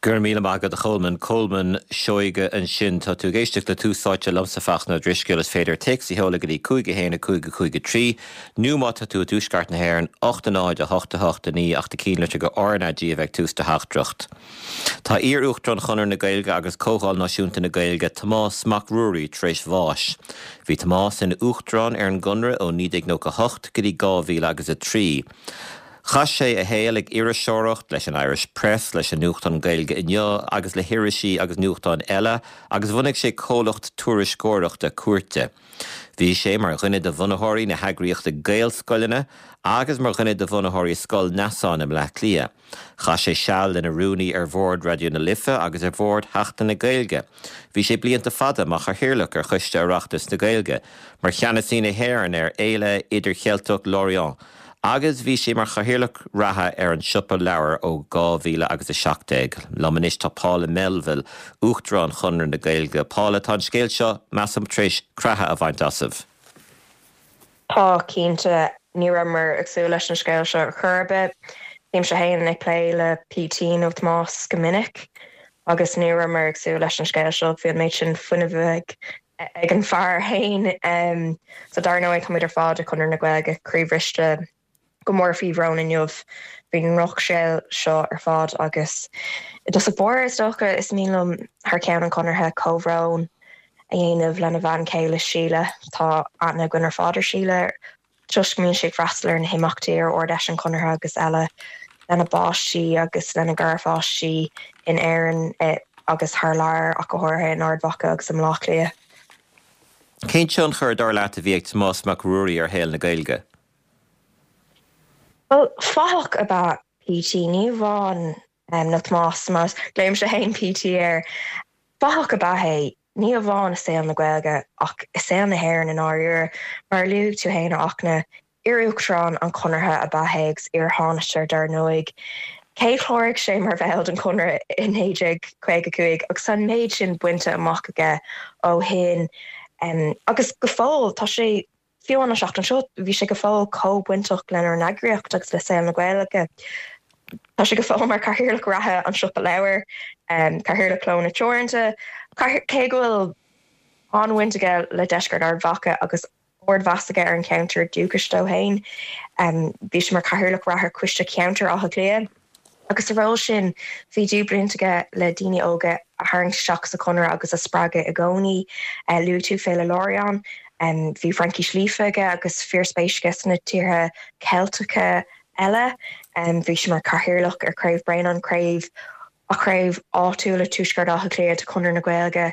Go raibh míle maith agat a Cholmáin. Colmán Seoige ansin. Tá tú ag éisteacht le Tús Áite liomsa Fachtna Ó Drisceoil. Is féidir téacs a sheoladh go dtí 5 1 5 5 3 nó má tá tú i dtuaisceart na hÉireann, 8 0 8 8 9 ach do chinnlitir go RnaG a bheith ag tús do theachtaireacht. Tá iar-Uachtarán Chonradh na Gaeilge agus Comhdháil Náisiúnta na Gaeilge, Tomás Mac Ruairí, tar éis bháis. Bhí Tomás ina Uachtarán ar an gConradh ó 1998 go dtí 2003. Chaith sé a shaol ag iriseoireacht leis an Irish Press, leis an nuachtán Gaeilge Inniu agus le hirisí agus nuachtáin eile agus bhunaigh sé comhlacht tuairisceoireachta cúirte. Bhí sé mar dhuine de bhunaitheoirí na heagraíochta Gaelscoileanna agus mar dhuine de bhunaitheoirí Scoil Neasáin i mBleá Cliath. Chaith sé seal ina rúnaí ar bhord Raidió na Life agus ar bhord Sheachtain na Gaeilge. Bhí sé blianta fada mar chathaoirleach ar Choiste Oireachtais na Gaeilge, mar cheannasaí na hÉireann ar Fhéile Idircheilteach Lorient, agus bhí sé mar chathaoirleach reatha ar an Siopa Leabhar ó 2017. Liom anois tá Paula Melville, Uachtarán Chonradh na Gaeilge. Paula, tá an scéal seo, measaim, tar éis creathadh a bhaint asaibh. Tá, cinnte. Ní rabhamar ag súil leis an scéal seo ar chor ar bith. Bímse féin ag plé le PT nó Tomás go minic agus ní rabhamar ag súil leis an scéal seo. Bhí an méid sin fuinnimh ag ag an bhfear féin. So dar ndóigh táimid ar fad i Conradh na Gaeilge croíbhriste go mór faoi bhrón inniu faoin ndrochscéal seo ar fad agus i dtosach báire is dócha is mian liom thar ceann an Chonartha comhbhrón a dhéanamh lena bhean chéile Síle. Tá aithne againn ar fad ar Síle toisc go mbíonn sí ag freastal ar na himeachtaí ar Ard-Fheis an Chonartha agus eile lena bpáistí agus lena garpháistí in Éirinn agus thar lear, ach go háirithe in Ard Mhacha agus i mBleá Cliath. Cén tionchar, dar leat, a bhí ag Tomás Mac Ruairí ar shaol na Gaeilge? Bhuel, fathach ab ea PT, ní amháin, nó Tomás, mar glaoimse féin PT air. Fathach ab ea é, ní amháin i saol na Gaeilge ach i saol na hÉireann i ndáiríre. Mar a luaigh tú féin, a Fhachtna, iar-Uachtarán an Chonartha ab ea é agus iar-Thánaiste dar ndóigh. Cé chláraigh sé mar bhall den Chonradh i 1955 agus tá an méid sin bainte amach aige ó shin agus go fóill tá sé Fiú an tseachtain seo, bhí sé go fóill chomh bainteach lenár n-eagraíocht agus le saol na Gaeilge. Tá sé go fóill mar Chathaoirleach reatha an Siopa Leabhar, Cathaoirleach Clódhanna Teoranta, cé go bhfuil an-bhaint aige le Deisceart Ard Mhacha agus ardmheas aige ar an cheantar dúchais dó féin. Bhí sé mar Chathaoirleach reatha Choiste Ceantair Átha Cliath. Agus sa ról sin, bhí dúbhaint aige le daoine óga a tharraingt isteach sa Chonradh agus a spreagadh i gcónaí. Luaigh tú Féile Lorient. Bhí Fraincis líofa aige agus fíorspéis aige sna tíortha Ceilteacha eile. Bhí sé mar chathaoirleach ar Chraobh Bréanainn, craobh chraobh áitiúil i Tuaisceart Átha Cliath de Chonradh na Gaeilge.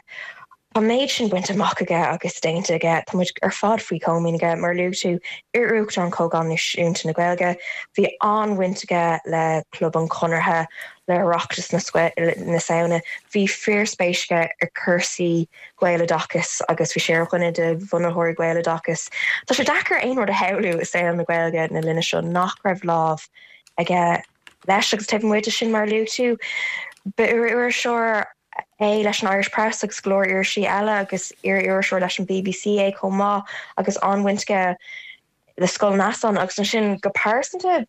Tá an méid sin bainte amach aige agus déanta aige. Tá muid ar fad faoi chomaoin aige. Mar a luaigh tú, iar-Uachtarán Chomhdháil Náisiúnta na Gaeilge, bhí an-bhaint aige le Club an Chonartha, le Oireachtas na Samhna. Bhí fíorspéis aige i cúrsaí Gaeloideachais agus bhí sé ar dhuine de bhunaitheoirí Gaeloideachas. Tá sé deacair aon rud a shamhlú i saol na Gaeilge na linne seo nach raibh lámh aige leis agus taobh amuigh de sin, mar a luaigh tú, ba iriseoir é leis an Irish Press agus go leor irisí eile agus iar-iriseoir leis an BBC é chomh maith agus an-bhaint aige le Scoil Neasáin agus ansin go pearsanta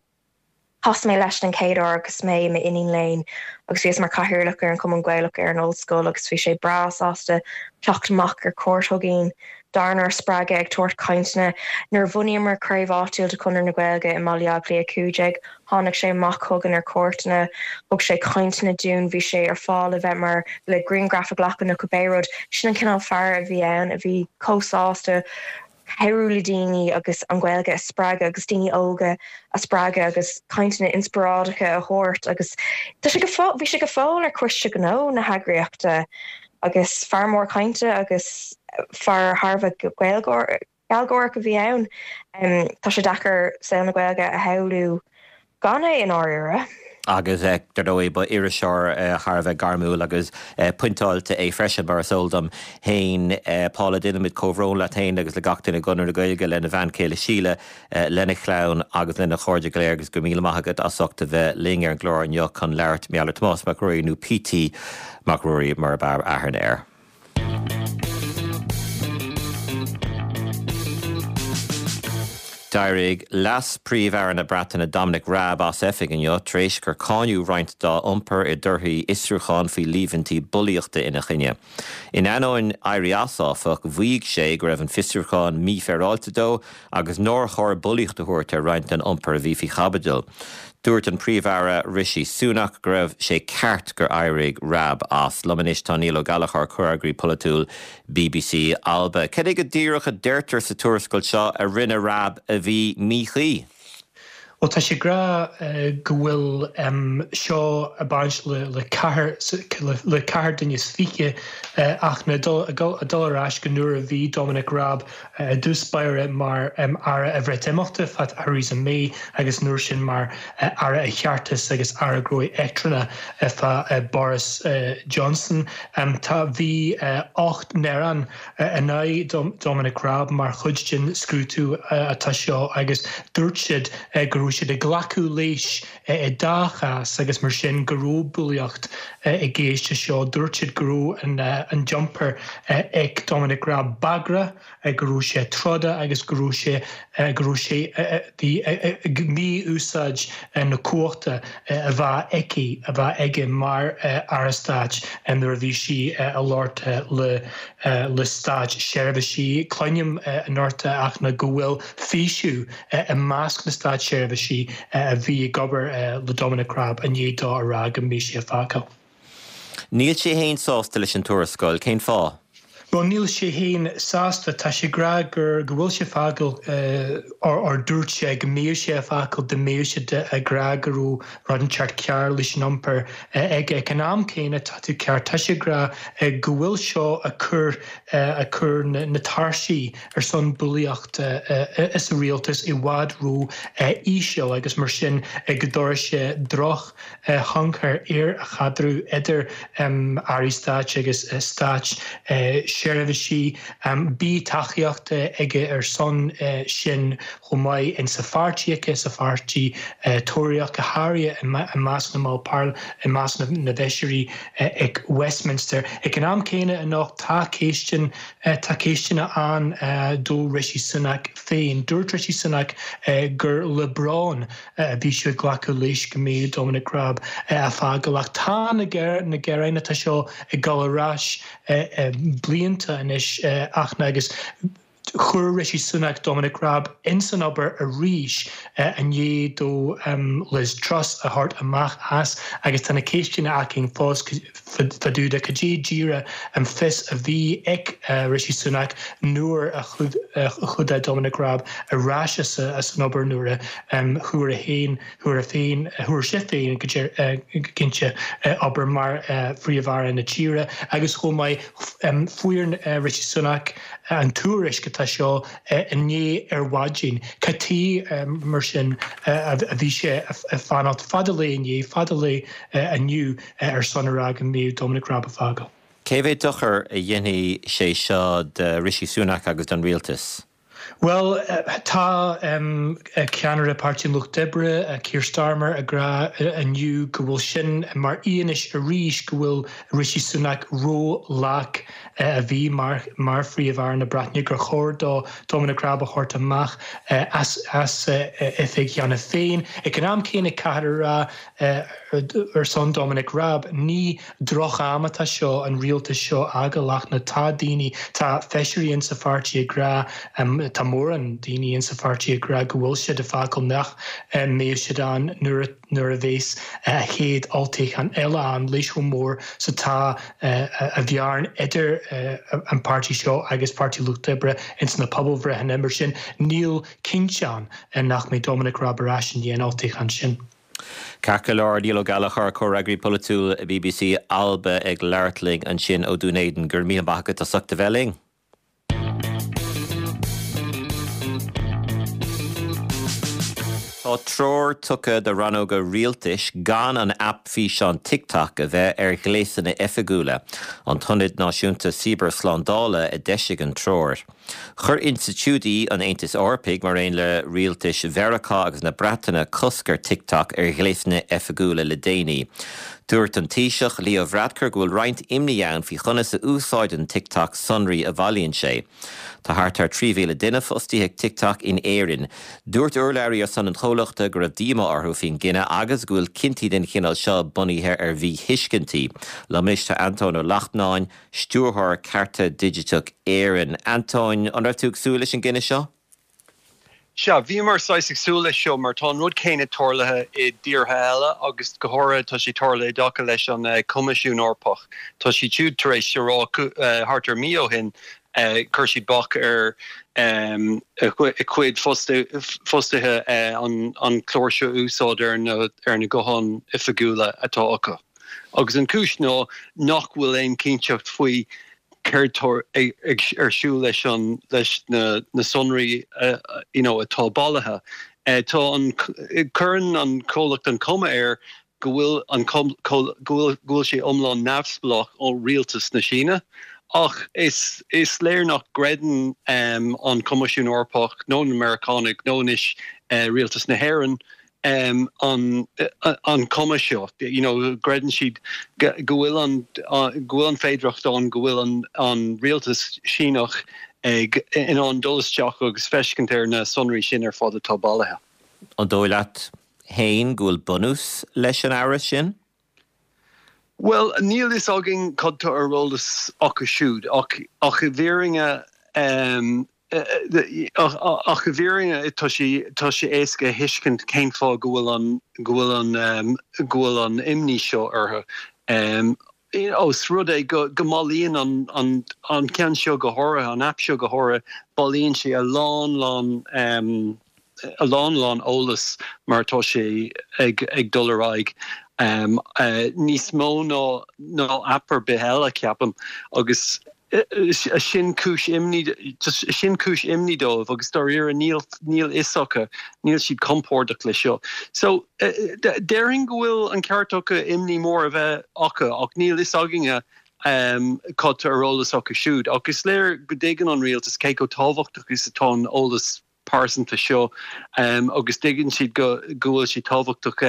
chas mé leis den chéad uair agus mé i m'iníon léinn agus bhíos mar chathaoirleach ar an Chumann Gaelach ar an ollscoil agus bhí sé breá sásta teacht amach ar cuairt chugainn dárnár spreagadh ag tabhairt cainteanna. Nuair a bhunaíomar craobh áitiúil de Chonradh na Gaeilge i mBaile Átha Cliath 15, tháinig sé amach chugainn ar cuairteanna, thug sé cainteanna dúinn, bhí sé ar fáil le bheith mar, le grianghraif a ghlacadh nó cibé rud. Sin an cineál fear a bhí ann, a bhí chomh sásta cabhrú le daoine agus an Ghaeilge a spreagadh agus daoine óga a spreagadh agus cainteanna inspioráideacha a thabhairt agus tá sé go fóill, bhí sé go fóill ar choiste gnó na heagraíochta. Agus fear mór cainte agus fear thar a bheith gealgháireach a bhí ann. Tá sé deacair saol na Gaeilge a shamhlú gan é i ndáiríre. Agus dar ndóigh ba iriseoir thar a bheith gairmiúil agus pointeáilte é freisin, mar is eol dom féin. Paula, déanaimid comhbhrón leat féin agus le gach duine i gConradh na Gaeilge, lena bhean chéile Síle, lena chlann agus lena chairde go léir agus go raibh míle maith agat as ucht a bheith linn ar an gclár inniu chun labhairt mar gheall ar Tomás Mac Ruairí nó PT Mac Ruairí mar ab fhearr aithne air. D'éirigh Leas-Phríomh-Aire na Breataine Dominic Raab as oifig inniu tar éis gur cáineadh roinnt dá iompar i dtorthaí fhiosrúchán faoi líomhaintí bulaíochta ina choinne. In ainneoin éirí as, áfach, mhaígh sé go raibh an fiosrúchán mífhéaráilte dó agus nár chóir bulaíocht a thabhairt ar roinnt den iompar a bhí faoi chaibidil. Dúirt an Príomh-Aire Rishi Sunak go raibh sé ceart gur éirigh Raab as. Liom anois tá Niall Ó Gallchóir, Comhfhreagraí Polaitiúil bbc Alba. Cad é go díreach a deirtear sa tuarascáil seo a rinne Raab a bhí míchuí? Bhuel, tá sé ag rá go bhfuil seo ag baint le ceathair le ceathair duine is fiche ach ag dul ar ais go nuair a bhí Dominic Raab i dtús báire mar Aire an Bhreatimeachta fá Theresa May agus an uair sin mar Aire an Cheartais agus Aire Gnóthaí Eachtrannacha fá Boris Johnson. Tá bhí 8 ngearán in aghaidh Dominic Raab mar chuid den scrúdú atá seo agus dúirt siad go raibh siad ag glacadh leis i dá chás agus mar sin go raibh bulaíocht i gceist leis seo. Dúirt siad go raibh an t-iompar ag Dominic Raab bagrach, go raibh sé troda agus go raibh sé go raibh sé ag mí-úsáid na cumhachta a bheadh aici, a bheadh aige mar Aire Stáit nuair a bhí sí ag labhairt le le státseirbhísigh. Cluinim anocht ach ná go bhfuil faoiseamh i measc na státseirbhísigh a bhí ag obair le Dominic Raab i ndiaidh dó a rá go mbeidh sé ag fágáil. Níl sé fhéin sásta leis an tuarascáil, cén fáth? Bhuel, níl sé fhéin sásta. Tá sé ag rá gur, go bhfuil sé ag fágáil or or dúirt sé go mbeadh sé ag fágáil dá mbeadh siad ag rá go raibh rud inteacht cearr leis an iompar aige. Ag an am céanna, tá tú ceart, tá sé ag rá go bhfuil seo ag cur, ag cur na na tairsí ar son bulaíocht sa rialtas i bhfad ró íseal agus mar sin go dtabharfaidh sé droch thionchar ar an chaidreamh idir Airí Stáit agus Stáit seirbhísigh. Bhí tacaíocht aige ar son sin chomh maith insa pháirtí aige, sa pháirtí Tóraíoch, go háirithe i measc na mball parlaiminte, i measc na bhfeisirí ag Westminster. Ag an am céanna anocht tá ceisteanna, tá ceisteanna ann do Rishi Sunak féin. Dúirt Rishi Sunak gur le brón a bhí sé ag glacadh leis go mbeadh Dominic Raab ag fágáil ach tá na gearáin atá seo ag dul ar ais blianta anois ach agus chuir Rishi Sunak Dominic Raab ins an obair arís i ndiaidh dó Liz Truss a thabhairt amach as agus tá na ceisteanna againn fós fá dtaobh de cad é díreach an fios a bhí ag Rishi Sunak nuair a chuaigh Dominic Raab ar ais as an obair nuair a chuaigh a féin, chuaigh féin, chuaigh sé féin go cinnte obair mar Phríomh-Aire na tíre agus chomh maith fuair Rishi Sunak an tuairisc atá seo inné ar mhaidin. Cad chuige mar sin a bhí sé ag fanacht fada lae inné, fada lae inniu ar son a rá go mbeadh Dominic Raab ag fágáil. Cé mhéad dochar a dhéanfaidh sé seo do Rishi Sunak agus don rialtas? Bhuel, tá ceannaire Páirtí an Lucht Oibre, Keir Starmer, ag rá inniu go bhfuil sin mar fhianaise arís go bhfuil Rishi Sunak ró-lag a bhí mar Phríomh-Aire na Breataine, gur chóir dó Dominic Raab a thabhairt amach as oifig cheana féin. Ag an am céanna, caithfear a rá, Ar son Dominic Raab, ní droch-am atá seo an rialtas seo a fhágáil ach na tá daoine, tá feisirí insa pháirtí ag rá, tá mórán daoine insa pháirtí ag rá go bhfuil siad ag fágáil nach mbeidh siad ann nuair nuair a bheas a chéad olltoghchán eile ann leis chomh mór 's atá a bhearna idir an páirtí seo agus Páirtí Lucht Oibre ins na pobalbhreitheanna. Mar sin níl cinnte ann nach mbeidh Dominic Raab ar ais i ndiaidh an olltoghcháin sin. Ceart go leor, Niall Ó Gallchóir, Comhfhreagraí Polaitiúil bbc Alba ag labhairt linn ansin ó Dún Éideann. Go raibh míle maith agat as ucht a bheith linn. Tá treoir tugtha do rannóga rialtais gan an aip físeán TikTok a bheith ar ghléasanna oifigiúla. An tIonad Náisiúnta Cibearshlándála a d'eisigh an treoir. Chuir institiúidí an Aontais Eorpaigh, mar aon le rialtais Mheiriceá agus na Breataine, cosc ar TikTok ar ghléasanna oifigiúla le déanaí. Dúirt an Taoiseach, Leo Varadkar go bhfuil roinnt imní ann faoi chonas a úsáideann TikTok sonraí a bhailíonn sé. Tá thart ar 3,000 duine fostaithe ag TikTok in Éirinn. Dúirt urlabhraí ar son an chomhlachta go raibh díomá orthu faoin gcinneadh agus go bhfuil cinntí den chineál seo bunaithe ar mhíthuiscintí. Liom anois tá Antóin Ó Lachtnáin, Stiúrthóir Cearta Digiteach Éireann. Antóin, an raibh tú ag súil leis an gcinneadh seo? Sea, bhíomar saghas ag súil leis seo mar tá an rud céanna tarlaithe i dtíortha eile agus go háirithe tá sé tarlaithe i dtaca leis an Coimisiún Eorpach. Tá siad siúd tar éis a rá thart ar mí ó shin, chuir siad bac ar a gcuid fostaithe an clár seo a úsáid ar na gutháin oifigiúla atá acu. Agus an chúis ná nach bhfuil aon chinnteacht faoi céard tá ar siúl leis an leis na na sonraí you know atá bailithe. Tá an cuireann an comhlacht an cuma air go bhfuil an go bhfuil go bhfuil sé iomlán neamhspleách ó rialtas na Síne ach is is léir nach gcreideann an Coimisiún Eorpach nó na Meiriceánaigh nó anois rialtas na hÉireann an an cuma seo. You know, creideann siad go bhfuil an go bhfuil an féidireacht ann go bhfuil an an rialtas Síneach ag in ann dul isteach agus feiscint ar na sonraí sin ar fad atá bailithe. An dóigh leat féin go bhfuil bunús leis an amhras sin? Bhuel, níl fhios againn cad tá ar eolas acu siúd, ach ach i bhfírinne ach i bhfírinne tá sé tá sé éasca a thuiscint cén fáth go bhfuil an go bhfuil an go bhfuil an imní seo orthu. Ós rud é go go mbailíonn an an an ceann seo go háirithe, an aip seo go háirithe, bailíonn sé a lán lán a lán lán eolas mar atá sé ag ag dul ar aghaidh, níos mó ná ná aip ar bith eile, ceapaim, agus sin cúis imní sin cúis imní dóibh agus dáiríre níl níl fhios acu, níl siad compordach le seo. So déarfainn go bhfuil an ceart acu imní mór a bheith acu ach níl fhios againne cad tá ar eolas acu siúd. Ach is léir go dtuigeann an rialtas cé chomh tábhachtach is atá an eolas pearsanta seo agus tuigeann siad go go bhfuil sé tábhachtach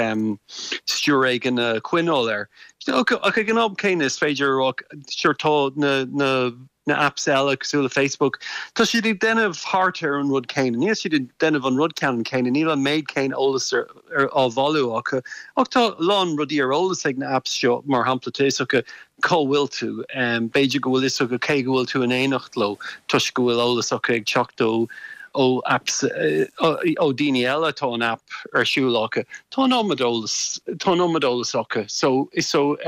stiúir éigin a choinneáil air. Ach ag an am céanna is féidir a rá sure tá na na na apps eile cosúil le Facebook, tá siad ag déanamh thart ar an rud céanna. Níl siad ag déanamh an rud ceannann céanna, níl an méid céanna eolas ar ar á bhailiú acu ach tá a lán rudaí ar eolas ag na apps seo, mar shampla tá fhios acu cá bhfuil tú, b'fhéidir go bhfuil fhios acu cé go bhfuil tú in éineacht leo toisc go bhfuil eolas acu ag teacht ó ó apps ó daoine eile atá an app ar siúl acu. Tá an iomad eolas, tá an iomad eolas acu. So, so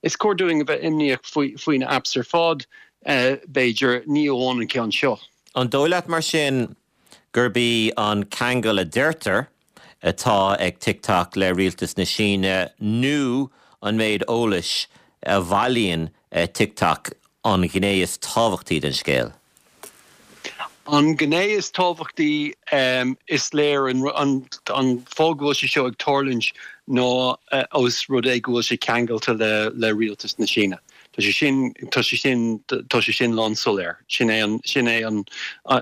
is cóir dúinn a bheith imníoch faoi, faoi na apps ar fad, b'fhéidir, ní amháin an ceann seo. An dóigh leat mar sin gurb í an ceangal a deirtear atá ag TikTok le rialtas na Síne nó an méid eolais a bhailíonn TikTok an ghné is tábhachtaí den scéal? An ghné is tábhachtaí, is léir an fáth go bhfuil sé seo ag tarlúint ná ós rud é go bhfuil sé ceangailte le rialtas na Síne. Tá sé sin, tá sé sin, tá sé sin lánsoiléir. Sin é an, sin é an,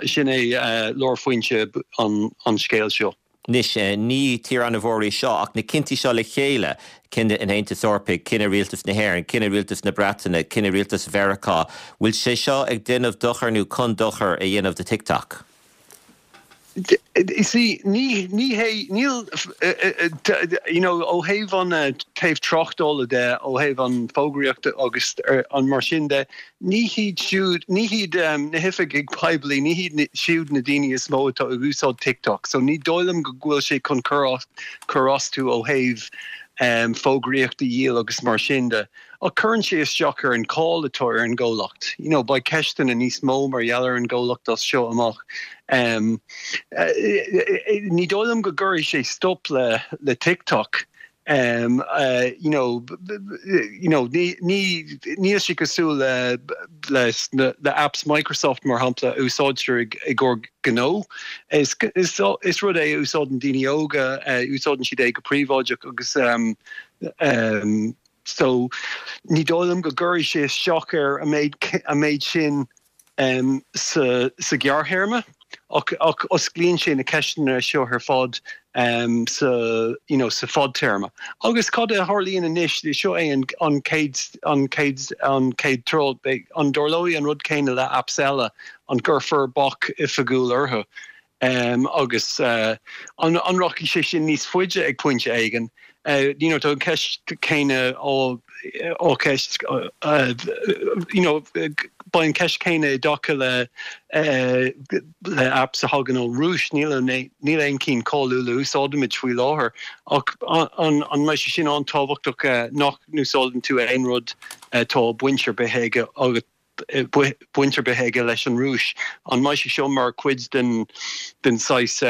sin é lárphointe an, an scéil seo. Anois, ní tír an-mhór í seo, ach na cinntí seo le chéile, cinneadh an Aontais Eorpaigh, cinneadh rialtas na hÉireann, cinneadh rialtas na Breataine, cinneadh rialtas Mheiriceá, bhfuil sé seo ag déanamh dochair nó chun dochar a dhéanamh do TikTok? See, ní, ní hé, níl, you know, ó thaobh an taobh tráchtála de, ó thaobh an fógraíochta agus an mar sin de, ní hiad siúd, ní hiad na hoifigigh poiblí, ní hiad siúd na daoine is mó atá ag úsáid TikTok. So ní dóigh liom go bhfuil sé chun cur as, cur astu ó thaobh fógraíocht a dhíol agus mar sin de. Ach cuireann sé isteach ar an cháil atá ar an gcomhlacht. You know, beidh ceisteanna níos mó mar gheall ar an gcomhlacht as seo amach. Ní dóigh liom go gcuirfidh sé stop le le TikTok. You know, you know, ní ní níl sé cosúil le le le apps Microsoft mar shampla a úsáidtear i i gcomhair gnó. Is is is rud é a úsáideann daoine óga, úsáideann siad é go príobháideach agus So, ní dóigh liom go gcuirfidh sé isteach air an méid, an méid sin. Sa ghearrthéarma, ach osclaíonn sé na ceisteanna seo ar fad sa you know sa fadtéarma. Agus cad a tharlaíonn anois, seo é an chéad an chéad an chéad tráth, an dtarlóidh an rud céanna le apps eile, an gcuirfear bac oifigiúil orthu? Agus an rachaidh sé sin níos faide ag pointe éigin? You know, tá an cheist chéanna á á ceist you know, beidh an cheist chéanna i dtaca le le apps a thagann ón Rúis. Níl níl aon cinn cáiliúil a úsáidimid faoi láthair ach an an mbeidh sé sin an-tábhachtach nach n-úsáideann tú aon rud atá baint ar bith aige agat baint ar bith aige leis an Rúis. An mbeidh sé seo mar chuid den den saghas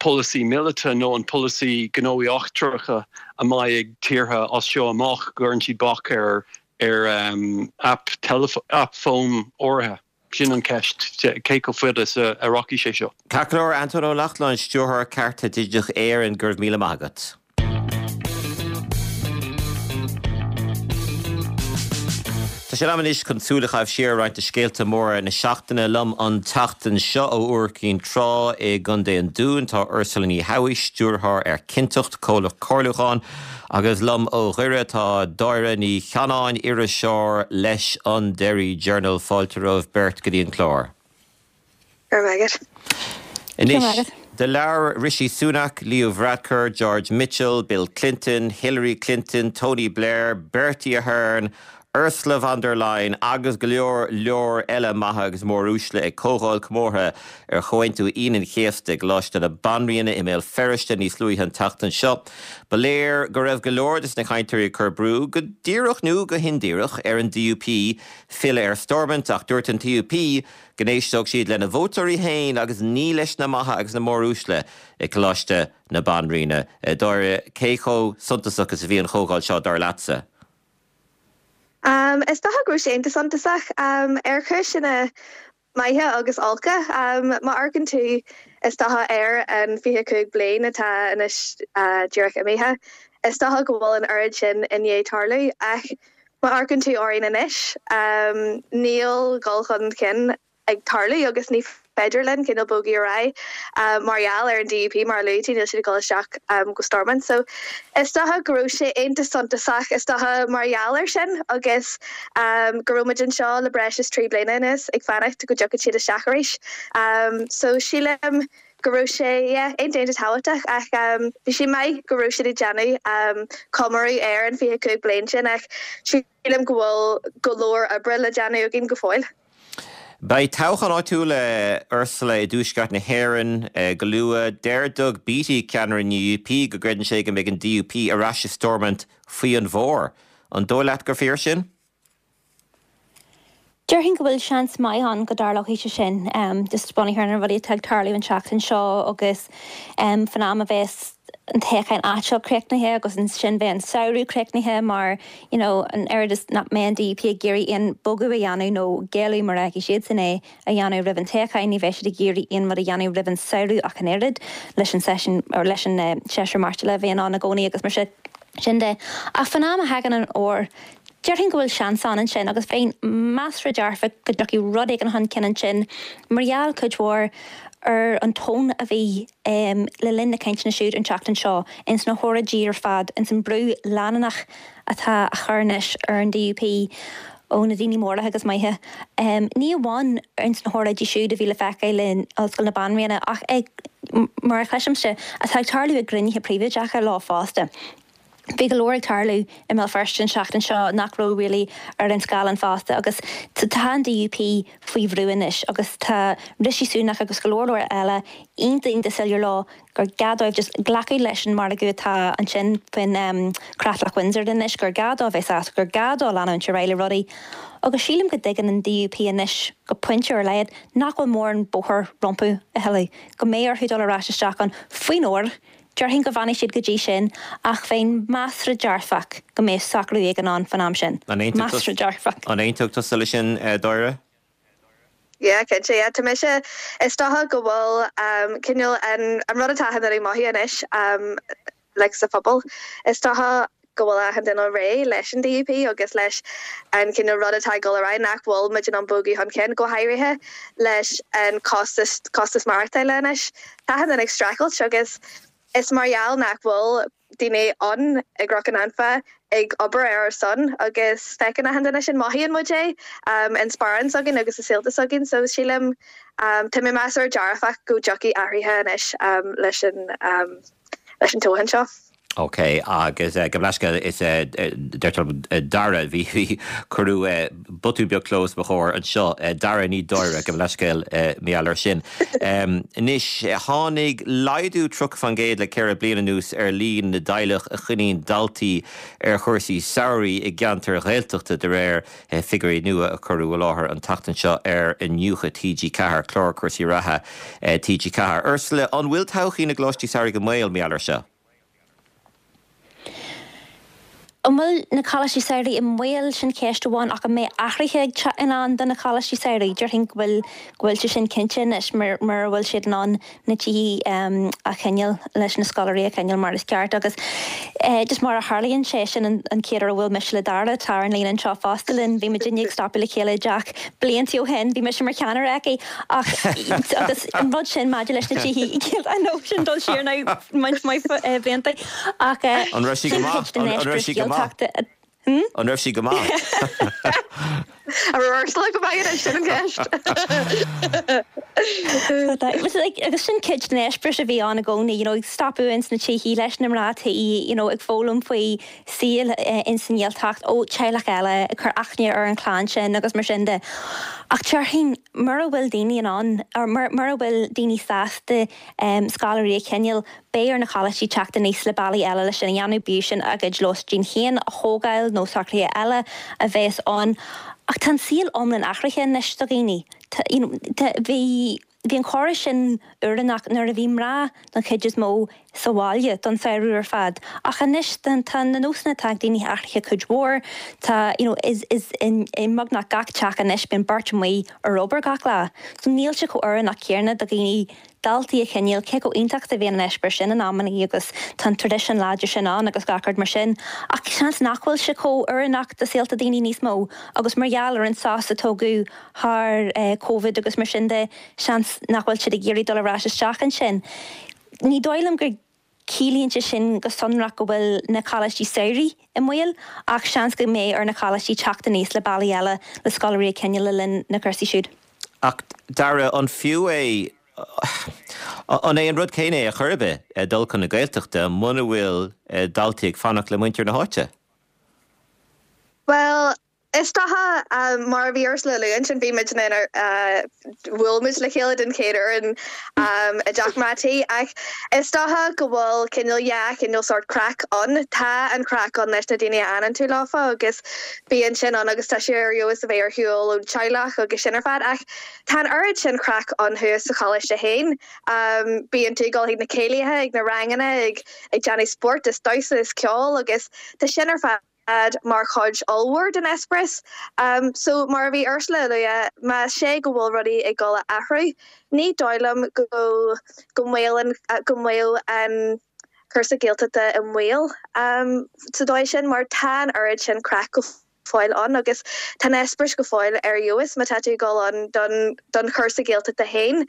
polasaí míleata nó an polasaí gnóthaí eachtracha a mbeidh ag tíortha as seo amach, go gcuireann siad bac ar ar aip aip fóin áirithe? Sin an cheist, cé chomh fada is a rachaidh sé seo? Ceart go leor, Antóin Ó Lochlainn, Stiúrthóir Cearta Digiteach Éireann, go raibh míle maith agat. Tá sé in am anois chun súil a chaitheamh siar ar roinnt de scéalta móra na seachtaine. Liom an tseachtain seo ó Iúr Cinn Trá i gContae an Dúin tá Ursula Ní Shabhaois, Stiúrthóir ar Cinnteacht, comhlacht comhairliúcháin, agus liom ó Dhoire tá Dáire Ní Chanáin, iriseoir leis an Derry Journal. Fáilte romhaibh beirt go dtí an clár. Go raibh maith agat. Anois, do labhair Rishi Sunak, Leo Varadkar, George Mitchell, Bill Clinton, Hillary Clinton, Tony Blair, Bertie Ahern, Ursula von der Leyen agus go leor leor eile maithe agus móruaisle ag comhdháil comórtha ar Chomhaontú Aoine an Chéasta i gColáiste na Banríona i mBéal Feirste níos luaithe an tseachtain seo. Ba léir go raibh go leor de na cainteoirí ag cur brú, go díreach nó go hindíreach, ar an DUP filleadh ar Stormont ach dúirt an DUP go n-éisteodh siad lena vótóirí féin agus ní leis na maithe agus na móruaisle i gColáiste na Banríona. Dáire, cé chomh suntasach is a bhí an chomhdháil seo, dar leatsa? Is dócha go raibh sé iontach suntasach, ar chúiseanna maithe agus olca. Má amharcann tú, is dócha, ar an 25 bliain atá anois díreach imithe, is dócha go bhfuil an oiread sin i ndiaidh tarlú. Ach Má amharcann tú orainn anois, níl dul chun cinn ag tarlú agus ní féidir linn cineál bogadh ar aghaidh mar gheall ar an DUP, mar a luaigh tú, níl siad ag dul isteach go Stormont. So, is dócha go raibh sé iontach suntasach, is dócha mar gheall air sin agus go raibh muid anseo le breis is 3 bliana anuas ag fanacht go dtiocfadh siad isteach arís. So, sílim go raibh sé, yeah, iontach iontach tábhachtach ach bhí sé maith go raibh siad ag déanamh comóradh ar an 25 bliain sin ach sílim go bhfuil go leor oibre le déanamh againn go fóill. Beidh toghchán áitiúil, Ursula, i dTuaisceart na hÉireann go luath. Deir Doug Beattie, ceannaire an UUP, go gcreideann sé go mbeidh an DUP ar ais i Stormont faoi an bhfómhar. An dóigh leat gur fíor sin? Déarfainn go bhfuil seans maith ann go dtarlóidh sé sin, just bunaithe ar na rudaí atá ag tarlú an tseachtain seo agus fan am a bheas an toghchán áitiúil críochnaithe agus ansin beidh an samhradh críochnaithe mar you know an oiread is nach mbeidh an DUP ag iarraidh aon bogadh a dhéanamh nó géilleadh mar a fheicfidh siadsan é a dhéanamh roimh an toghchán, ní bheidh siad ag iarraidh aon rud a dhéanamh roimh an samhradh ach an oiread leis an seisiún or leis an séasúr maireachtála a bhíonn ann i gcónaí agus mar sin de. Ach fan am a thagann an fhómhar Déarfainn go bhfuil seans ann ansin agus bheinn measartha dearfach go dtiocfaidh rud éigin chun cinn ansin mar gheall, cuid mhór, ar an tón a bhí le linn na cainteanna siúd an tseachtain seo, ins na hóráidí ar fad, ins an brú leanúnach atá á chur anois ar an DUP ó na daoine móra agus maithe. Ní amháin ins na hóráidí siúd a bhí le feiceáil in Ollscoil na Banríona ach ag, mar a chloisimse, atá ag tarlú i gcruinnithe príobháideacha leo fosta. Bhí go leor ag tarlú i mBéal Feirste an tseachtain seo nach raibh really ar an scáileán fosta agus tá an DUP faoi bhrú anois agus tá Rishi Sunak agus go leor leor eile iontach iontach soiléir leo gur gá dóibh just glacadh leis an margadh atá ansin faoin Creatlach Windsor anois, gur gá dó bheith sásta, gur gá dó leanúint ar aghaidh le rudaí agus sílim go dtuigeann an DUP anois go pointe ar a laghad nach bhfuil mórán bóthar rompu a thuilleadh, go mbeidh orthu dul ar ais isteach ann faoin fhómhar. Déarfainn go bhfanfaidh siad go dtí sin, ach bheinn measartha dearfach go mbeadh socrú éigin ann fán am sin. Measartha dearfach. An aontódh tusa leis sin, Dáire? Yeah, cinnte, yeah. Tá mise, is dócha go bhfuil cineál an rud atá chun éirí maith anois like sa phobal, is dócha. go bhfuil achan duine réidh leis an DUP agus leis an cineál rud atá ag dul ar aghaidh, nach bhfuil muid in ann bogadh chun cinn, go háirithe leis an costas, costas maireachtála anois. Tá achan duine ag streachailt agus is mar gheall nach bhfuil daoine ann i gCnoc an Anfa ag obair ar ár son agus feiceann achan duine sin, mothaíonn muid é in sparán s'againn agus i saolta s'againn so sílim, tá mé measartha dearfach go dtiocfaidh athruithe anois leis an leis an toghchán seo. Ok, agus gabh mo leithscéal, is deirtear liom Dara, bhí, bhí, cuireadh botún beag cló os mo chomhair anseo, Dara ní Dáire, gabh mo leithscéal, mar gheall air sin. Anois, tháinig laghdú 30% le ceithre bliana anuas ar líon na dteaghlach a choinníonn daltaí ar chúrsaí samhraidh i gceantair Ghaeltachta, de réir figiúirí nua a cuireadh i láthair an tseachtain seo ar Iniúchadh TG4, clár cúrsaí reatha TG4. Ursula, an bhfuil todhchaí na gcoláistí samhraidh i mbaol mar gheall air seo? An bhfuil na coláistí samhraidh i mbaol? Sin ceist amháin ach an mbeidh athruithe ag teacht i ndán do na coláistí samhraidh? Déarfainn go bhfuil go bhfuil sé sin cinnte anois mura bhfuil siad in ann na tithe a choinneáil leis na scoláirí a choinneáil mar is ceart agus just mar a tharlaíonn sé, sin an chéad uair a bhuail mise le Dara, atá ar an líne anseo fosta linn, bhí muidinne ag stopadh le chéile i dteach blianta ó shin, bhí mise mar cheannaire aici ach agus an rud sin maidir leis na tithe, I know sin dul siar now roinnt mhaith blianta ach An raibh sí go sin maith? cuid den An raibh eispéireas sí go maith? Gaeltachta. An raibh sí go maith? An raibh Ursula go maith anois, sin an cheist. Agus sin cuid den eispéireas a bhí ann i gcónaí, you know, ag stopadh ins na tithe leis na mná tí, you know, ag foghlaim faoi saol ins an nGaeltacht ó teaghlach eile, ag cur aithne ar an chlann sin agus mar sin de. Ach déarfainn, mura bhfuil daoine in ann, or mura bhfuil daoine sásta scoláirí a choinneáil, Beidh ar na coláistí teacht aníos le bealaí eile le sin a dhéanamh, bíodh sin a gcuid lóistín féin a thógáil nó socruithe eile a bheas ann. Ach tá an saol iomlán athraithe anois do dhaoine. Tá, you know, tá, bhí, bhí an córas sin oiriúnach nuair a bhí mná don chuid is mó sa bhaile don samhradh ar fad. Ach anois tá, tá na nósanna atá ag daoine athraithe cuid mhór. Tá, you know, is, is in, i mbeagnach gach teach anois bíonn beirt amuigh ar obair gach lá. So níl sé chomh oiriúnach céanna do dhaoine daltaí a choinneáil, cé chomh iontach is a bhíonn an eispéireas sin in amannaí agus tá an traidisiún láidir sin ann agus gach rud mar sin, ach seans nach bhfuil sé chomh oiriúnach do saolta daoine níos mó agus mar gheall ar an sos a tógadh thar Covid agus mar sin de, seans nach bhfuil siad ag iarraidh dul ar ais isteach ansin. Ní dóigh liom go ciallaíonn sé sin go sonrach go bhfuil na coláistí samhraidh i mbaol, ach seans go mbeidh ar na coláistí teacht aníos le bealaí eile le scoláirí a choinneáil le linn na cúrsaí siúd. Ach Dara, an fiú é, an é an rud céanna é ar chor ar bith dul chun na Gaeltachta muna bhfuil daltaí ag fanacht le muintir na háite? Bhuel, Is dócha, mar a bhí Ursula a lua ansin, bhí muid in bhuail muid le chéile den chéad uair in i dteach mná tí ach is dócha go bhfuil cineál yeah cineál sórt craic ann. Tá an craic ann leis na daoine a fhanann tú leofa agus bíonn sin ann agus tá sé ar fheabhas a bheith ar shiúl ón teaghlach agus sin ar fad ach tá an oiread sin craic ann thuas sa choláiste féin. Bíonn tú ag dul chuig na céilithe, ag na ranganna, ag ag déanamh spóirt is damhsa is ceol agus tá sin ar fad mar chuid ollmhór den eispéireas. So, mar a bhí Ursula a lua, más é go bhfuil rudaí ag dul a athrú, ní dóigh liom go go mbaol go mbeadh an cúrsa Gaeltachta i mbaol sa dóigh sin mar tá an oiread sin craic go fóill ann agus tá an eispéireas go fóill ar fheabhas má tá tú ag dul ann don don chúrsa Gaeltachta féin.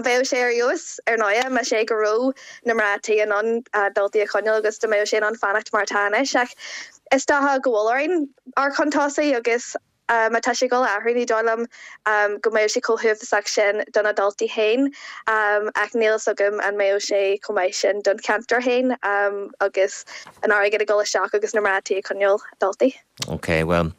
Bheadh sé ar fheabhas ar ndóigh más é go raibh na mná tí in ann daltaí a choinneáil agus dá mbeadh sé in ann fanacht mar atá anois ach is dócha go bhfuil orainn amharc chun tosaigh agus má tá sé ag dul a athrú ní dóigh liom go mbeadh sé chomh huafásach sin do na daltaí féin ach níl fhios agam an mbeadh sé chomh maith sin don cheantar féin agus an airgead ag dul isteach agus na mná tí ag coinneáil daltaí. Ok, bhuel,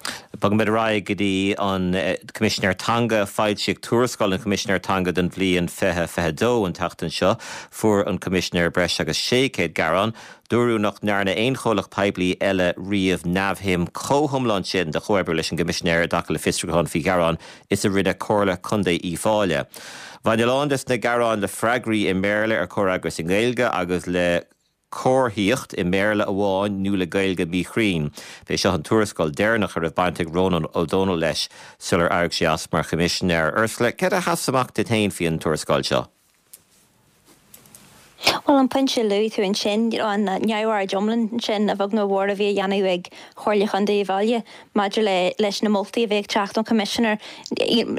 bogfaimid ar aghaidh go dtí an Coimisinéir Teanga. Foilsíodh tuarascáil an Choimisinéir Teanga don bhliain 2022 an tseachtain seo. Fuair an Coimisinéir breis agus 600 gearán. Dúradh nach ndearna aon chomhlacht poiblí eile riamh neamhshuim chomh hiomlán sin de chomhoibriú leis an gCoimisinéir i dtaca le fiosrúcháin faoi ghearáin is a rinne Comhairle Contae Uíbh Fhailí. Bhain a lán des na gearáin le freagraí i mBéarla ar chomhfhreagras i nGaeilge agus le comharthaíocht i mBéarla amháin nó le Gaeilge mhíchruinn. B'é seo an tuarascáil deireanach a raibh baint ag Rónán Ó Domhnaill leis sular éirigh sé as mar Choimisinéir. Ursula, céard a sheas amach duit féin faoi an tuarascáil seo? Bhuel, an pointe a luaigh tú ansin, an neamhaird iomlán sin, a bheag nó a mhór, a bhí á dhéanamh ag Comhairle Chontae Uíbh Fhailí maidir le leis na moltaí a bhí ag teacht ón Choimisinéir,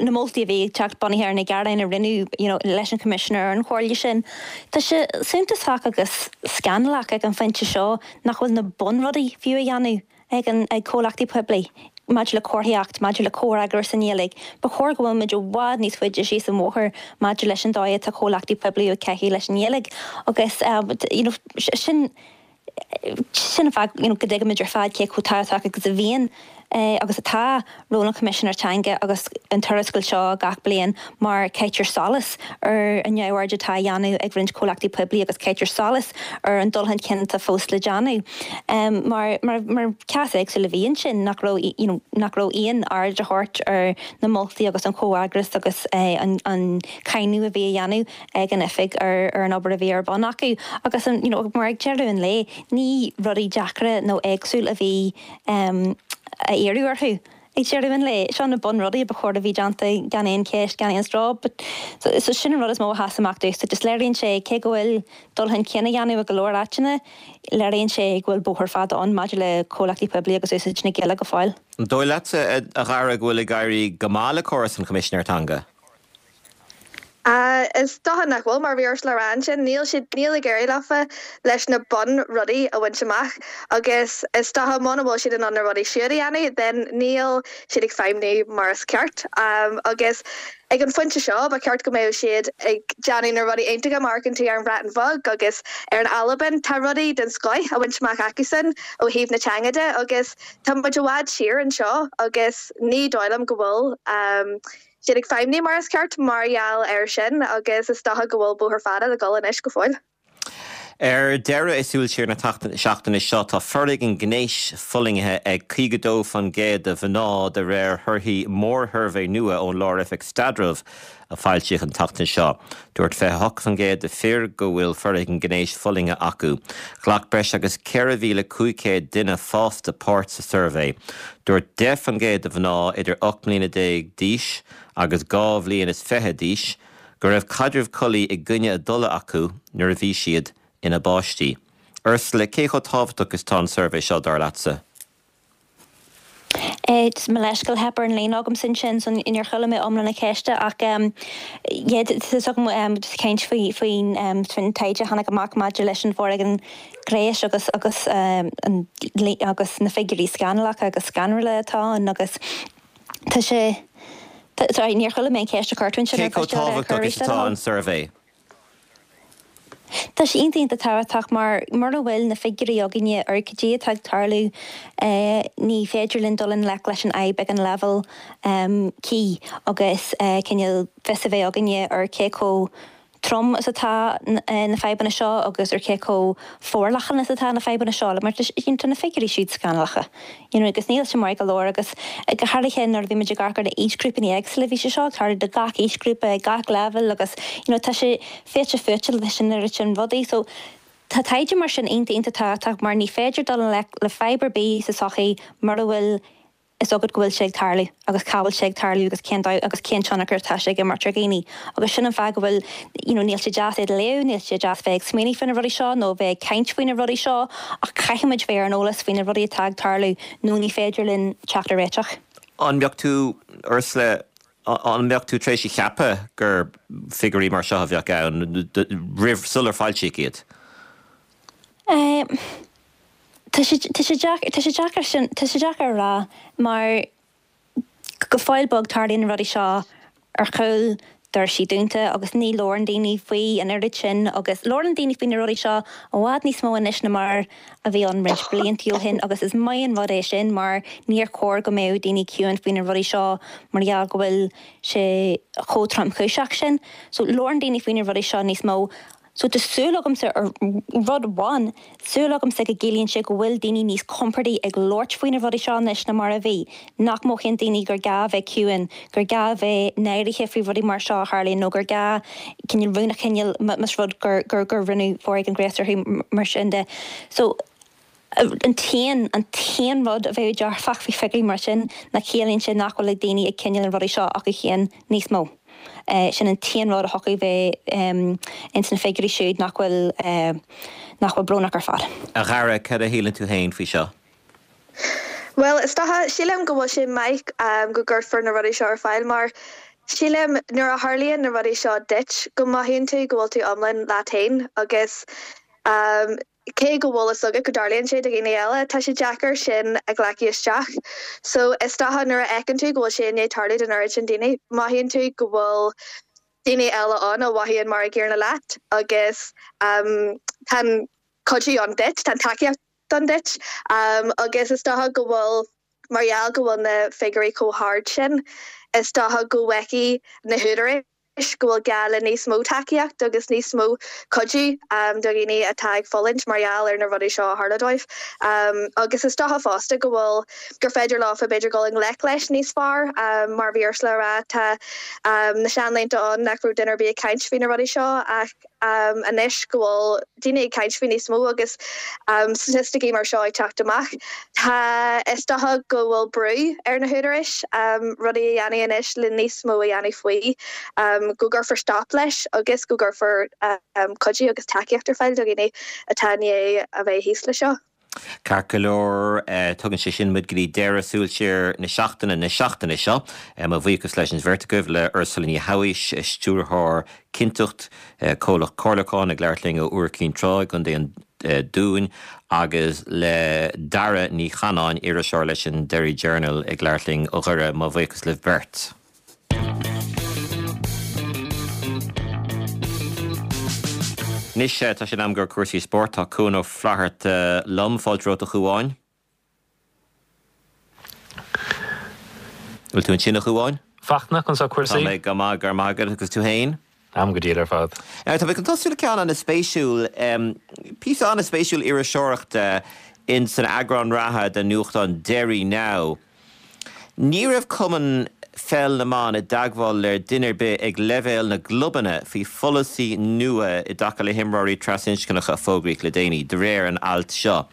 na moltaí a bhí ag teacht bunaithe ar na gearáin a rinneadh you know leis an Choimisinéir ar an chomhairle sin. Tá sé suntasach agus scannalach ag an phointe seo nach bhfuil na bunrudaí fiú á dhéanamh. ag an ag comhlachtaí poiblí maidir le comharthaíocht, maidir le comhfhreagras i nGaeilge. Ba chóir go bhfuil muid i bhfad níos faide síos an bhóthar maidir leis an dóigh atá comhlachtaí poiblí ag caitheamh leis an nGaeilge agus you know sin sin an fáth you know go dtuigimid ar fad cé chomh tábhachtach agus a bhíonn agus atá ról an Choimisinéir Teanga agus an tuarascáil seo gach bliain mar caitear solas ar an neamhaird atá á dhéanamh ag roinnt comhlachtaí poiblí agus caitear solas ar an dul chun cinn atá fós le déanamh. Mar mar cás éagsúil a bhí ansin nach raibh you know nach raibh aon aird á thabhairt ar na moltaí agus an comhfhreagras agus an an cáineadh a bhí á dhéanamh ag an oifig ar ar an obair a bhí ar bun acu agus an you know mar ag deireadh an lae ní rudaí deacra nó éagsúil a bhí á iarraidh orthu. Ag deireadh an lae, seo na bunrudaí a ba chóir a bhí déanta gan aon cheist, gan aon stró. But so sin an rud is mó a sheas amach domhsa. Just léiríonn sé, cé go bhfuil dul chun cinn á dhéanamh i go leor áiteanna, léiríonn sé go bhfuil bóthar fada ann maidir le comhlachtaí poiblí agus úsáid na Gaeilge go fóill. An dóigh leatsa, a Dhara, go bhfuil ag éirí go maith le córas an Choimisinéir Teanga? Is dócha nach bhfuil, mar a bhí Ursula a rá ansin, níl siad, níl ag éirí leofa leis na bun rudaí a bhaint amach agus is dócha muna bhfuil siad in ann na rudaí siúd a dhéanamh then níl siad ag feidhmniú mar is ceart. Agus ag an phointe seo ba cheart go mbeadh siad ag déanamh na rudaí iontacha má amharcann tú ar an Bhreatain Bheag agus ar an Albain, tá rudaí den scoith á bhaint amach acusan ó thaobh na teanga de agus tá muid i bhfad siar anseo agus ní dóigh liom go bhfuil siad ag feidhmniú mar is ceart mar gheall air sin agus is dócha go bhfuil bóthar fada le dul anois go fóill. Ar deireadh, i Súil Siar na seachtaine seo, tá foréigean gnéis fulaingthe ag 52% de mhná de réir thorthaí mórshuirbhé nua ón Lár-Oifig Staidrimh a foilsíodh an tseachtain seo. Dúirt 28% de fir go bhfuil foréigean gnéis fulaingthe acu. Ghlac breis agus 4,500 duine fásta páirt sa suirbhé. Dúirt 10% de mhná idir 18 mbliana d'aois agus 2 bhliain is fiche d'aois go raibh caidreamh collaí i gcoinne a dtola acu nuair a bhí siad ina bpáistí. Ursula, cé chomh tábhachtach is tá an suirbhé seo, dar leatsa? Mo leithscéal, theip ar an líne agamsa ansin, so níor chuala mé iomlán na ceiste ach yeah, tá fhios agam just caint faoi faoin faoin taighde a tháinig amach maidir leis an bhforéigean gnéis agus agus an agus na figiúirí scannalacha agus scanrúla atá ann agus tá sé sorry níor chuala mé an cheist a chuir tú ansin Cé chomh tábhachtach is atá an suirbhé? Tá sé iontach iontach tábhachtach mar mura bhfuil na figiúirí againne ar cad é atá ag tarlú ní féidir linn dul i ngleic leis an fhadhb ag an leibhéal cuí agus cineál fios a bheith againne ar cé chomh trom is atá na fadhbanna seo agus ar cé chomh forleathan is atá na fadhbanna seo. Mar tá na figiúirí siúd scannalacha you know agus níl sé maith go leor agus go háirithe nuair a bhí muid ag amharc ar na aoisghrúpanna éagsúla bhí sé seo ag tarlú do gach aoisghrúpa ag gach leibhéal agus you know tá sé fite fuaite leis an oiread sin rudaí so tá taighde mar sin iontach iontach tábhachtach mar ní féidir dul i ngleic le fadhb ar bith sa tsochaí mura bhfuil fhios agat go bhfuil sé ag tarlú agus cá bhfuil sé ag tarlú agus cén dóigh agus cén tionchar atá sé ag imirt ar dhaoine agus sin an fáth go bhfuil you know níl sé deas iad a léamh, níl sé deas bheith ag smaoineamh faoi na rudaí seo nó bheith ag caint faoi na rudaí seo ach caithfidh muid bheith ar an eolas faoi na rudaí atá ag tarlú nó ní féidir linn teacht ar réiteach. An mbeadh tú, Ursula, an mbeadh tú tar éis a cheapadh gur figiúirí mar seo a bheadh ann roimh, sular foilsíodh iad? Eh. Tá sé, tá sé deacair, tá sé deacair sin, tá sé deacair a rá mar go fóill beag tarlaíonn na rudaí seo ar chúl doirsí dúnta agus ní labhrann daoine faoi an oiread sin agus labhrann daoine faoi na rudaí seo i bhfad níos mó anois ná mar a bhí ann roinnt blianta ó shin agus is maith an rud é sin mar níor chóir go mbeadh daoine ciúin faoi na rudaí seo mar gheall go bhfuil sé chomh tromchúiseach sin. So labhrann daoine faoi na rudaí seo níos mó. So tá súil agamsa ar rud amháin, súil agamsa go gciallaíonn sé go bhfuil daoine níos compordaí ag labhairt faoi na rudaí seo anois ná mar a bhí, nach mothaíonn daoine gur gá a bheith ciúin, gur gá a bheith náirithe faoi rudaí mar seo a tharlaíonn nó gur gá cineál rún a choinneáil más rud gur gur gur rinneadh foréigean gnéis orthu mar sin de. So an t-aon an t-aon rud a bheadh dearfach faoi figiúirí mar sin ná ciallaíonn sé nach bhfuil daoine ag coinneáil na rudaí seo acu féin níos mó. Sin an t-aon rud a thiocfadh bheith ins na figiúirí siúd nach bhfuil, nach bhfuil brónach ar fad. A Dhara, cad a shíleann tú féin faoi seo? Bhuel, is dócha, sílim go bhfuil sé maith go gcuirfear na rudaí seo ar fáil mar sílim nuair a tharlaíonn na rudaí seo duit go mothaíonn tú go bhfuil tú iomlán leat féin agus cé go bhfuil fhios agat go dtarlaíonn sé do dhaoine eile, tá sé deacair sin a ghlacadh isteach. So is dócha nuair a fheiceann tú go bhfuil sé i ndiaidh tarlú don oiread sin daoine, mothaíonn tú go bhfuil daoine eile ann a mhothaíonn mar a gcéanna leat agus tá an cuidiú ann duit, tá an tacaíocht ann duit agus is dócha go bhfuil, mar gheall go bhfuil na figiúirí chomh hard sin, is dócha go bhfeicfidh na húdaráis go bhfuil gá le níos mó tacaíocht agus níos mó cuidiú do dhaoine atá ag fulaingt mar gheall ar na rudaí seo a tharla dóibh. Agus is dócha fosta go bhfuil, gur féidir leofa b'fhéidir dul i ngleic leis níos fearr. Mar a bhí Ursula a rá, tá na seanlaethanta ann nach raibh duine ar bith ag caint faoi na rudaí seo ach, anois go bhfuil daoine ag caint faoi níos mó agus staitisticí mar seo ag teacht amach, tá, is dócha go bhfuil brú ar na húdaráis rudaí a dhéanamh anois le níos mó a dhéanamh faoi, go gcuirfear stop leis agus go gcuirfear cuidiú agus tacaíocht ar fáil do dhaoine atá i ndiaidh a bheith thíos leis seo. Ceart go leor, tugann sé sin muid go dtí deireadh Súil Siar na seachtaine na seachtaine seo. Mo bhuíochas leis an bheirt agaibh, le Ursula Ní Shabhaois, Stiúrthóir Cinnteacht, comhlacht comhairliúcháin, ag labhairt linn ó Iúr Cinn Trá i gContae an Dúin, agus le Dara Ní Chanáin, iriseoir leis an Derry Journal, ag labhairt linn ó Dhoire. Mo bhuíochas libh beirt. Anois tá sé in am do chúrsaí spóirt. Tá Cuan Ó Flatharta liom. Fáilte romhat a Chuáin. Bhfuil tú ansin a Chuáin? Fachtna, conas tá cúrsaí? Tá mé go maith, go raibh maith agat, agus tú fhéin? Táim go diail ar fad. Tá mé chun tosú le ceann an-spéisiúil, píosa an-spéisiúil iriseoireachta in san eagrán reatha den nuachtán Derry Now. Ní raibh Cumann Pheil na mBan i dteagmháil le duine ar bith ag leibhéal na gclubanna faoi pholasaí nua i dtaca le himreoirí trasinscneacha a fógraíodh le déanaí, de réir an ailt seo.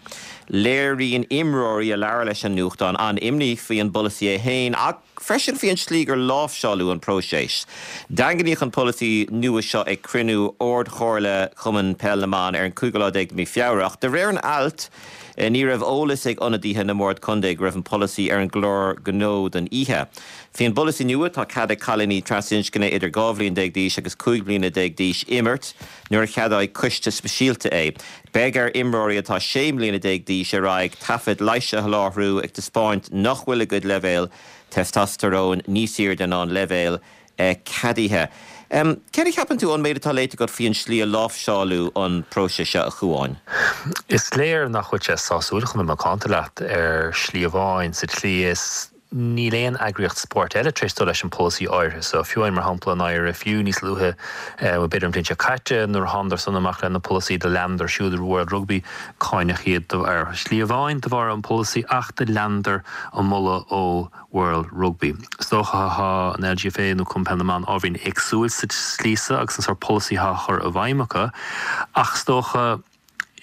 Léiríonn imreoirí a labhair leis an nuachtán an-imní faoi an bpolasaí é féin ach freisin faoi an tslí gur láimhseáladh an próiseas. Daingníodh an polasaí nua seo ag cruinniú Ard-Chomhairle Chumann Peil na mBan ar an cúigiú lá déag de mhí Feabhra ach de réir an ailt, Ní raibh eolas ag ionadaithe na mbord contae go raibh an polasaí ar an gclár gnó don oíche. Faoin bpolasaí nua, tá cead ag cailíní trasinscne idir 12 bhliain d'aois agus 15 bliana d'aois imirt nuair a cheadóidh coiste speisialta é. Beidh ar imreoirí atá 16 mbliana d'aois ar aghaidh taifead leighis a sholáthar ag taispeáint nach bhfuil a gcuid leibhéal testosteróin níos airde ná an leibhéal ceadaithe. Céard a cheapann tú ón méid atá léite agat faoi an slí a láimhseáladh an próiseas seo, a Chuáin? Is léir nach bhfuil sé sásúil, chun a bheith macánta leat, ar shlí amháin, sa tslí is níl aon eagraíocht spóirt eile tar éis dul leis an polasaí áirithe so. Fiú amháin, mar shampla, an IRFU níos luaithe, bhuel, b'fhéidir an bhliain seo caite, nuair a thánadar san amach lena polasaí, do leanadar siúd World Rugby, cáineadh iad ar shlí amháin de bharr an polasaí ach do leanadar an moladh ó World Rugby. Is dócha thá an LGFA nó Cumann Peil na mBan ábhairín éagsúil sa tslí so agus an sórt polasaí thá á chur i bhfeidhm acu ach is dócha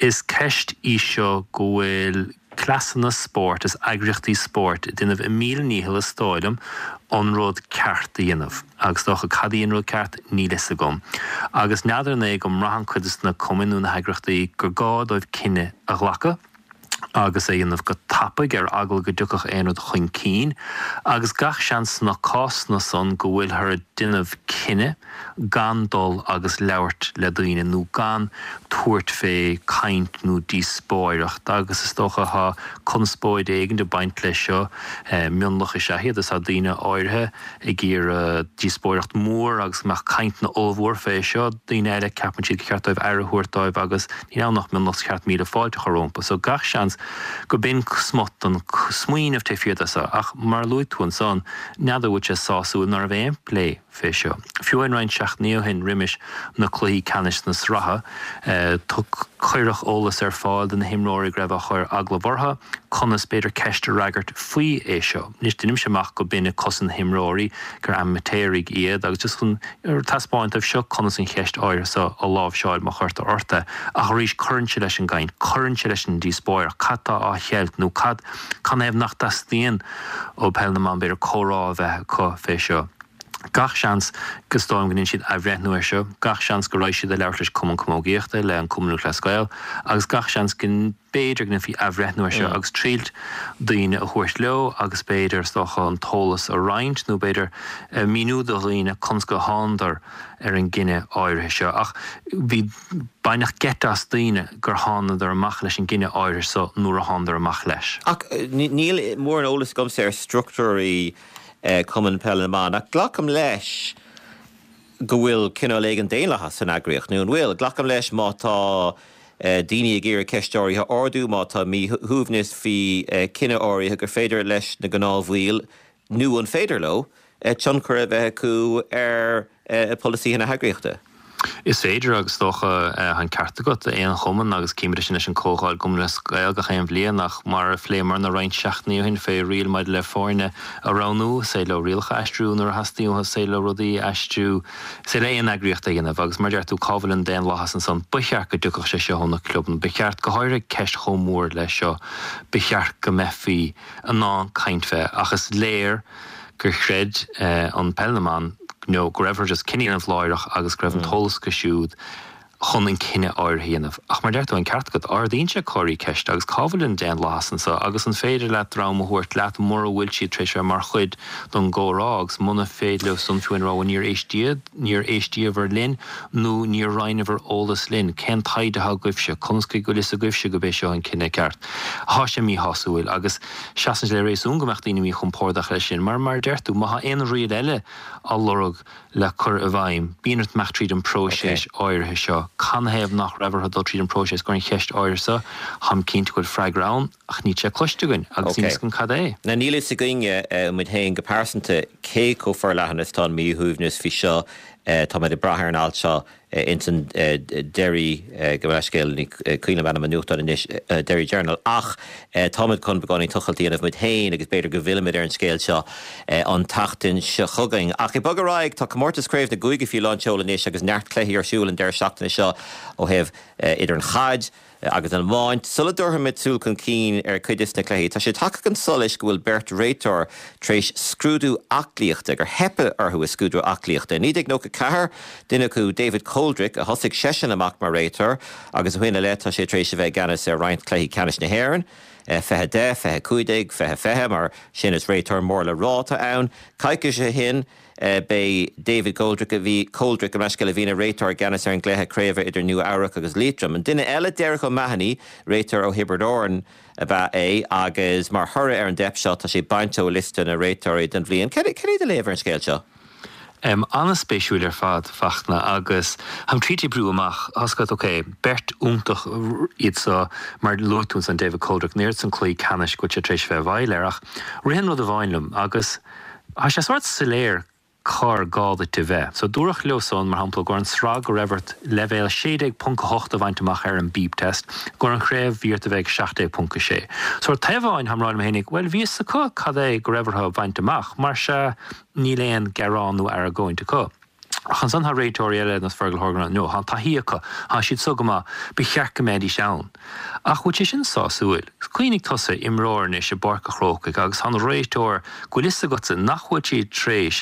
is ceist í seo go bhfuil cleasanna spóirt is eagraíochtaí spóirt ag déanamh a míle ndícheall is dóigh liom an rud ceart a dhéanamh agus is dócha cad í an rud ceart níl fhios agam agus n'fheadar an é go mbraitheann cuid de na cumainn nó na heagraíochtaí gur gá dóibh cinneadh a ghlacadh agus é a dhéanamh go tapaidh ar eagla go dtiocfadh aon rud chun cinn, agus gach seans sna cásanna san go bhfuilthear ag déanamh cinneadh gan dul agus labhairt le daoine nó gan tabhairt fé caint nó díospóireacht agus is dócha thá conspóid éigin ag baint leis seo, mionlach is ea iad is tá daoine áirithe ag iarraidh díospóireacht mhór agus go mbeadh cainteanna ollmhór fé seo. Daoine eile, ceapann siad gur cheart dóibh aire a thabhairt dóibh agus níl ann ach mionlach is cheart míle fáilte a chur rompu. So gach seans go b'in smut den smaoineamh taobh thiar de seo. Ach mar a luaigh tú ansan, n'fheadar an bhfuil sé sásúil ná raibh aon plé fé seo. Fiú amháin roinnt seachtainí ó shin roimis na cluichí ceannais na sraithe, cuireadh eolas ar fáil do na himreoirí go raibh á chur agallamh orthu, conas b'fhéidir ceist a fhreagairt faoi é seo. Anois deinimse amach go b'in ag cosaint na himreoirí, gur amaitéaraigh iad agus just chun taispeáint dóibh seo conas an cheist áirithe seo a láimhseáil má chuirtear ort é. Ach arís cuireann sé leis an gcaint, cuireann sé leis an díospóireacht, cad tá á cheilt nó cad, canathaobh nach dteastaíonn ó Peil na mBan b'fhéidir comhrá a bheith acu fé seo. Gach seans go is dóigh liom go ndéanfaidh siad athbhreithniú air seo, gach seans go raghaidh siad ag labhairt leis Cumann Camógaíochta, le an Cumann Lúthchleas Gael agus gach seans go mb'fhéidir go ndéanfaí athbhreithniú air seo agus triailt daoine a thabhairt leo agus b'fhéidir, is dócha, an t-eolas a roinnt nó b'fhéidir míniú do dhaoine conas go thánadar ar an gcinneadh áirithe seo. Ach bhí, baineadh geit as daoine gur thánadar amach leis an gcinneadh áirithe seo nuair a thánadar amach leis. Ach níl mórán eolas agamsa ar struchtúirí Cumann Peile na mBan, ach glacaim leis go bhfuil cineál éigin daonlathas san eagraíocht, nó an bhfuil? Glacaim leis má tá daoine ag iarraidh ceist áirithe a ardú, má tá míshuaimhneas faoi chinneadh áirithe, gur féidir leis na gnáthbhaill, nó an féidir leo, tionchar a bheith acu ar pholasaithe na heagraíochta. Is féidir agus is dócha, tá an ceart agat, aon chumann agus címid é sin leis an Comhdháil i gCumann Lúthchleas Gael gach aon bhliain ach mar a phléamarna roinnt seachtainí ó shin fé riail maidir le foirne a roghnú, is féidir leo rialacha a aistriú nuair a theastaíonn uathu, is féidir leo rudaí a aistriú, is féidir le aon eagraíocht é a dhéanamh agus mar a deir tú, cá bhfuil an daonlathas ansan? Ba cheart go dtiocfadh sé seo ó na clubanna, ba cheart, go háirithe ceist chomh mór leis seo, ba cheart go mbeifí in ann caint fé ach is léir gur chreid an Peil na mBan nó go raibh orthu just cinneadh a dhéanamh láithreach agus go raibh an t-eolas acu siúd chun an cinneadh áirithe a dhéanamh. Ach mar a deir tú, an ceart agat, ardaíonn sé comharthaí ceiste agus cá bhfuil an daonlathas anseo agus an féidir leat dream a thabhairt leat mura bhfuil siad tar éis bheith mar chuid don gcomhrá agus muna féidir leo san fiú a rá bhuel níor éistíodh, níor éistíobhair linn nó níor roinneabhair eolas linn, cén taighde atá agaibhse, conas go bhfuil fhios agaibhse go b'é seo an cinneadh ceart? Tá sé míshásúil agus seasann sé le réasún go mbeadh daoine míchompordach leis sin mar, mar a deir tú, má tá aon riail eile á lorg le cur i bhfeidhm, bíonn ort imeacht tríd an bpróiseas áirithe seo. Canathaobh nach raibh orthu dul tríd an bpróiseas i gcomhair an cheist áirithe seo? Táim cinnte go bhfuil freagra ann, ach níl sé cloiste againn agus níl fhios againn cad é. Now níl fhios againne, muid féin go pearsanta, cé chomh forleathan is atá an míshuaimhneas faoi seo. Táimid ag brath ar an alt seo ins an Derry, gabh mo leithscéal, ní cuimhin liom ainm an nuachtáin anois, Derry Journal, ach táimid chun beagáinín tochailt a dhéanamh muid féin agus b'fhéidir go bhfillfimid ar an scéal seo an tseachtain seo chugainn. Ach ag bogadh ar aghaidh, tá comórtas Craobh na gCúigí faoi lán tseoil anois agus neart cluichí ar siúl an deireadh seachtaine seo ó thaobh idir an chaid, agus an iomáint. Sula dtabharfaimid súil chun cinn ar chuid des na cluichí, tá sé tagtha chun solais go bhfuil beirt réiteoir tar éis scrúdú aclaíochta, gur theip orthu i scrúdú aclaíochta. I 1994, duine acu, David Coldrick, a thosaigh seisean amach mar réiteoir agus ó shin i leith tá sé tar éis a bheith i gceannas ar roinnt cluichí ceannais na hÉireann, 2010, 2015, 2020, mar sin is réiteoir mór le rá atá ann. Coicís ó shin, B'é David Goldrick a bhí, Coldrick, gabh mo leithscéal, a bhí ina réiteoir i gceannas ar an gcluiche craoibhe idir Nua Eabhrac agus Liatroim. An duine eile, Derek O'Mahony, réiteoir ó Thiobraid Árann ab ea é agus mar thoradh ar an dteip seo tá sé bainte ó liosta na réiteoirí don bhliain. Cad é do léamh ar an scéal seo? An-spéisiúil ar fad, Fachtna, agus táim triailt oibriú amach, tá's agat, ok, beirt iontach iad so, mar luaigh tú ansan David Coldrick, an oiread san cluichí ceannais go bhfuil sé tar éis bheith i bhfeighil air, ach ritheann rud amháin liom agus, Tá sé sórt soiléir cár gá duit a bheith. So dúradh leo san, mar shampla, i gcomhair an sraith go raibh ort leibhéal 16.8 a bhaint amach ar an beep test, i gcomhair an chraobh bhí ort a bheith ag 17.6. So ar taobh amháin táim ag rá liom fhéinig, bhuel bhí fhios acu cad é go raibh orthu a bhaint amach, mar sea níl aon gearán nó argóint acu. Ach ansan tá réiteoirí eile ar nós Fergal Horgan, no, tá an taithí acu, tá siad so go maith, ba cheart go mbeidís ann. Ach bhfuil sé sin sásúil? Cuimhnigh tusa, imreoir anois i bPáirc a' Chrócaigh agus tá an réiteoir go bhfuil fhios agatsa nach bhfuil siad tréis